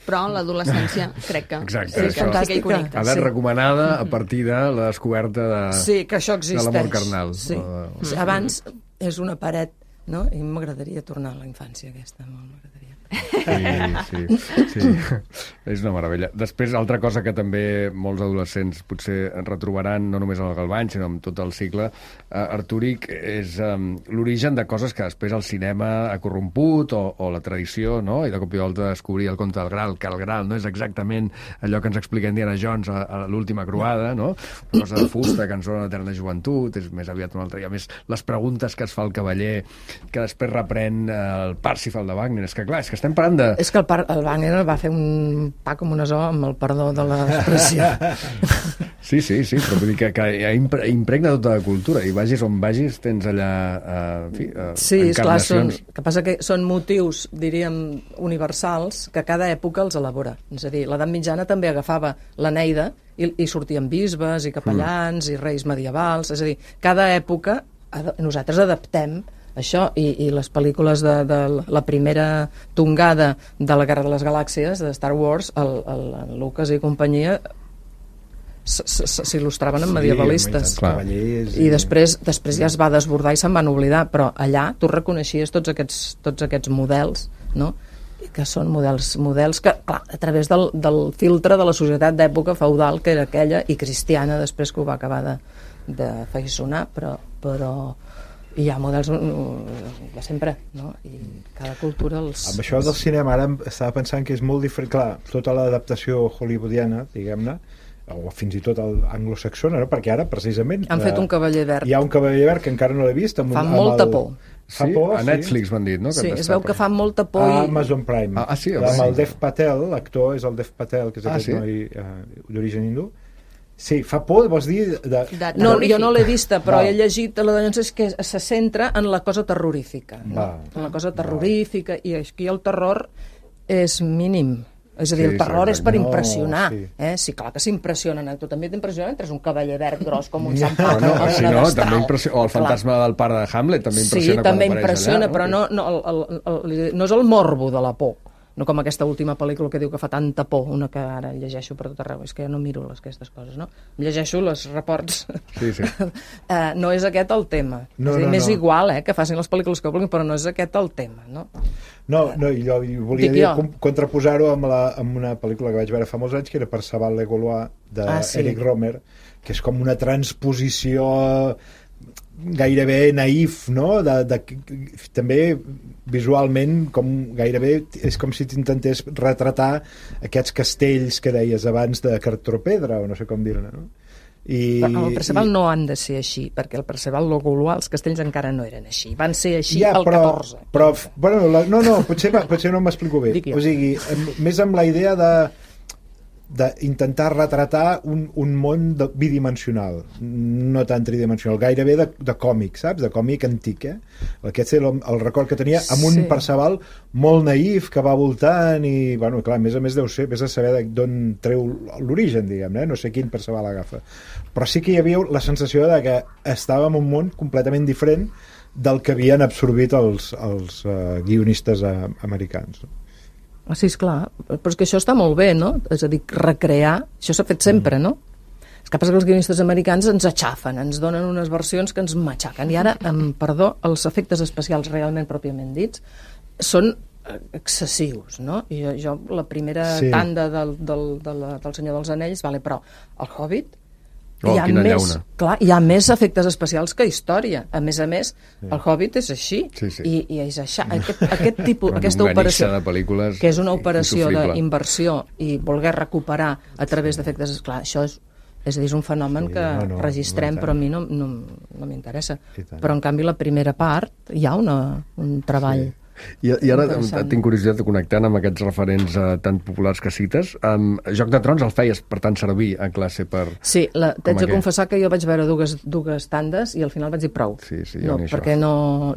Però l'adolescència crec que és fantàstica. Ha d'haver recomanada a partir de la descoberta de l'amor carnal. Abans és una paret, no? I m'agradaria tornar a la infància aquesta, molt m'agradaria. Sí. És una meravella. Després, altra cosa que també molts adolescents potser retrobaran, no només en el Galvany, sinó en tot el cicle artúric, és l'origen de coses que després el cinema ha corromput o la tradició, no? I de cop i volta descobrir el conte del Gral, que el Gral no és exactament allò que ens explica Indiana Jones a l'última croada, no? Una cosa de fusta, cançó de l'eterna joventut, és més aviat una altra. I a més, les preguntes que es fa el cavaller, que després reprèn el Parsifal de Wagner, és que clar, és que estem parlant de... És que el Wagner va fer un pa com una zo amb el perdó de l'expressió. Sí, però vull dir que impregna tota la cultura i vagis on vagis tens allà encarnacions. Que passa que són motius, diríem, universals que cada època els elabora. És a dir, l'edat mitjana també agafava l'Eneida i sortien bisbes i capellans i reis medievals. És a dir, cada època nosaltres adaptem això, i les pel·lícules de la primera tongada de la Guerra de les Galàxies, de Star Wars, el Lucas i companyia s'il·lustraven amb medievalistes. I després ja es va desbordar i se'n van oblidar, però allà tu reconeixies tots aquests models, no? que són models que, clar, a través del filtre de la societat d'època feudal que era aquella, i cristiana després, que ho va acabar de feixonar, però hi ha models de sempre, no? I cada cultura els... Amb això del cinema ara estava pensant que és molt diferent, clar, tota l'adaptació hollywoodiana, diguem-ne, o fins i tot anglosaxona, no? Perquè ara precisament han fet un cavaller verd. Hi ha un cavaller verd que encara no l'he vist, fa molta por. Sí, a Netflix m'han dit, no? Sí, es veu que fa molta por. A Amazon Prime. Sí, amb el Dev Patel, l'actor és el Dev Patel, que és aquest noi d'origen hindú. Sí, fa por, vols dir... No, jo no l'he vista, però he llegit és que se centra en la cosa terrorífica, no? En la cosa terrorífica, i aquí el terror és mínim. És a dir, el terror és per impressionar. Sí, clar que s'impressionen. Tu també t'impressiona mentre és un cavaller verd gros com un sant Pau. També impressiona. O el fantasma del pare de Hamlet també impressiona. Sí, també impressiona, però no és el morbo de la por. No com aquesta última pel·lícula que diu que fa tanta por, una que ara llegeixo per tot arreu. És que jo no miro aquestes coses, no? Llegeixo les reports. Sí. No és aquest el tema. M'és igual, que facin les pel·lícules que vulguin, però no és aquest el tema, no? No, jo volia dir, contraposar-ho amb una pel·lícula que vaig veure fa molts anys, que era Perceval Legolois, d'Eric Romer, que és com una transposició gairebé naïf, no? També visualment gairebé és com si t'intentés retratar aquests castells que deies abans de cartropedra, o no sé com dir-ne, no? Però el Perceval no han de ser així, perquè el Perceval Legolois, els castells encara no eren així, van ser així al 14. Però potser no m'explico bé. O sigui, més amb la idea d'intentar retratar un món bidimensional, no tan tridimensional, gairebé de còmic, saps? De còmic antic, Aquest era el record que tenia, amb un Perceval molt naïf que va voltant i, bueno, clar, a més deu ser, vés a saber d'on treu l'origen, diguem-ne, no sé quin Perceval agafa. Però sí que hi havia la sensació de que estàvem en un món completament diferent del que havien absorbit els guionistes americans. Sí, esclar, però és que això està molt bé, no? És a dir, recrear, això s'ha fet sempre, no? És que passa que els guionistes americans ens aixafen, ens donen unes versions que ens matxaquen, i ara, perdó, els efectes especials realment pròpiament dits són excessius, no? I jo la primera tanda del Senyor dels Anells, però el Hobbit, hi ha més efectes especials que història. A més, el Hobbit és així. I és aquest tipus, aquesta operació, que és una operació d'inversió i voler recuperar a través d'efectes... Clar, això és un fenomen que registrem, però a mi no m'interessa. Però, en canvi, la primera part hi ha un treball... I ara tinc curiositat de connectar amb aquests referents tan populars que cites. Joc de Trons el feies, per tant, servir a classe per... Sí, t'haig de confessar que jo vaig veure dues tandes i al final vaig dir prou. No, perquè no...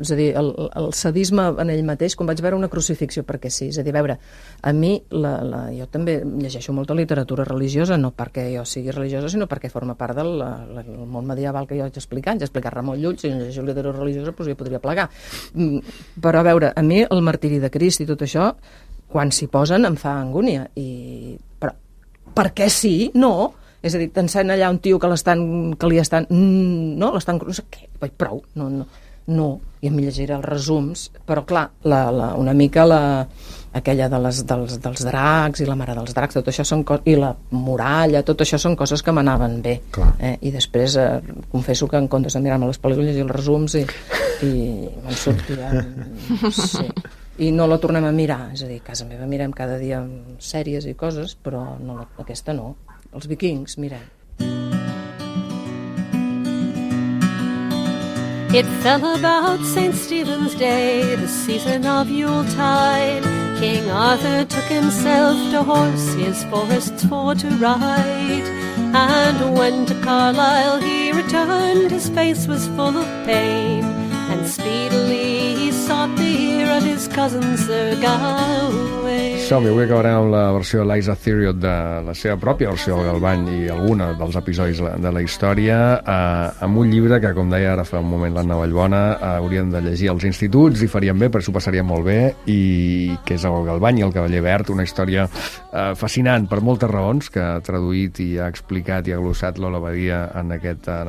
És a dir, el sadisme en ell mateix, quan vaig veure una crucifixió, perquè sí, és a dir, a veure, a mi, jo també llegeixo molta literatura religiosa, no perquè jo sigui religiosa, sinó perquè forma part del món medieval que jo vaig explicar. Ja he explicat Ramon Llull, si no llegeixo literatura religiosa, doncs jo podria plegar. Però, a veure, a mi el martiri de Crist i tot això, quan s'hi posen em fa angúnia. Però per què sí? No. És a dir, t'encén allà un tio que li estan... No, l'estan... No sé què, prou. No. I a mi llegiré els resums, però clar, una mica aquella dels dracs i la mare dels dracs, tot això són i la muralla, tot això són coses que m'anaven bé. I després confesso que en comptes de mirar-me les pel·lícules i els resums i me'n sortia... Sí. I no la tornem a mirar, és a dir, a casa meva mirem cada dia sèries i coses, però aquesta no. Els Vikings, mirem. It fell about St. Stephen's Day, the season of Yuletide. King Arthur took himself to horse his forests for to ride. And when to Carlisle he returned, his face was full of pain. And speedily he sought the ear of his cousin Sir Gawain. Som-hi, avui acabarem amb la versió d'Eliza Theriot, de la seva pròpia versió del Galvany i alguna dels episodis de la història, amb un llibre que, com deia ara fa un moment l'Anna Vallbona, haurien de llegir als instituts i farien bé, perquè s'ho passarien molt bé, i que és el Galvany i el Cavaller Verd, una història fascinant per moltes raons, que ha traduït i ha explicat i ha glossat Lola Badia en aquesta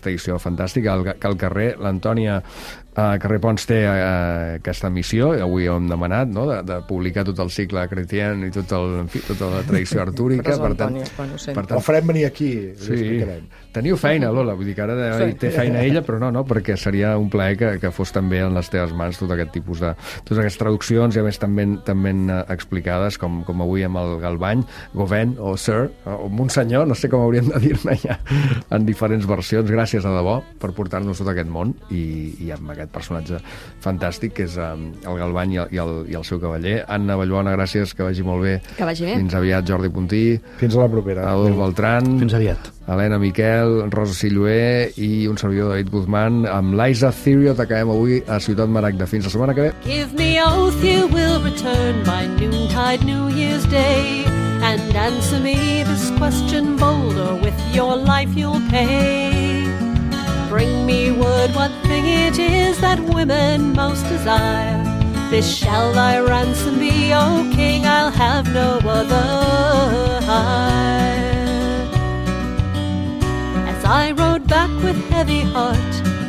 edició fantàstica. Que al carrer l'Antònia Carrer Pons té aquesta missió, avui ho hem demanat, no? de publicar tot el cicle Chrétien i tota la tradició artúrica. Per tant, la farem venir aquí, sí. Teniu feina, Lola, vull dir que ara té feina ella, però no, perquè seria un plaer que fos també en les teves mans tot aquest tipus de... totes aquestes traduccions, i a més també explicades, com avui amb el Galvany, Gauvin o Sir, o Monsenyor, no sé com hauríem de dir-ne ja, en diferents versions. Gràcies a debò per portar-nos tot aquest món i amb aquest personatge fantàstic que és el Galvany i el seu cavaller. Anna Vallbona, gràcies, que vagi molt bé. Que vagi bé. Fins aviat, Jordi Puntí. Fins a la propera. Adolf Beltran. Fins aviat. Helena Miquel, Rosa Silloé i un servidor, David Guzmán. Amb l'Aisa Theriot acabem avui a Ciutat Maragda. Fins la setmana que ve. Give me oath you will return by noontide New Year's Day, and answer me this question bold, or with your life you'll pay. Bring me word what thing it is that women most desire. This shall thy ransom be, O king, I'll have no other hire. As I rode back with heavy heart,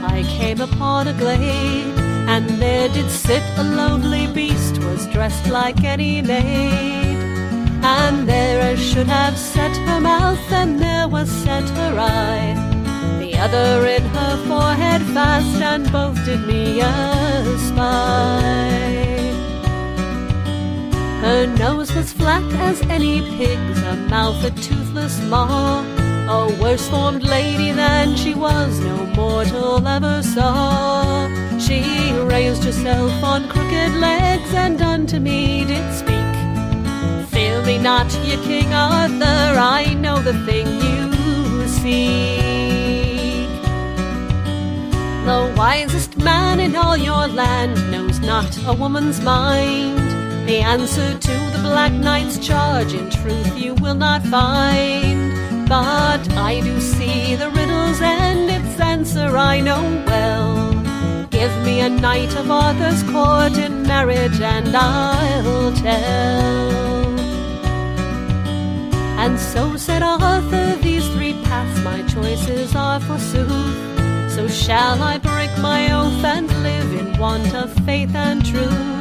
I came upon a glade, and there did sit a lonely beast, was dressed like any maid. And there as should have set her mouth, and there was set her eye, the other in her forehead fast, and both did me espy. Her nose was flat as any pig's, her mouth a toothless maw, a worse formed lady than she was no mortal ever saw. She raised herself on crooked legs, and unto me did speak, fear me not, ye King Arthur, I know the thing you seek. The wisest man in all your land knows not a woman's mind. The answer to the Black Knight's charge in truth you will not find. But I do see the riddle's end, its answer I know well. Give me a knight of Arthur's court in marriage, and I'll tell. And so said Arthur, these three paths my choices are forsooth. So shall I break my oath and live in want of faith and truth?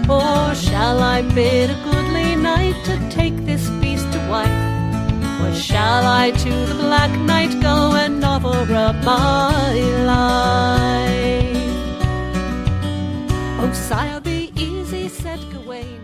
Or shall I bid a goodly knight to take this beast to wife? Or shall I to the Black Knight go and offer up my life? Oh, sire, be easy, said Gawain.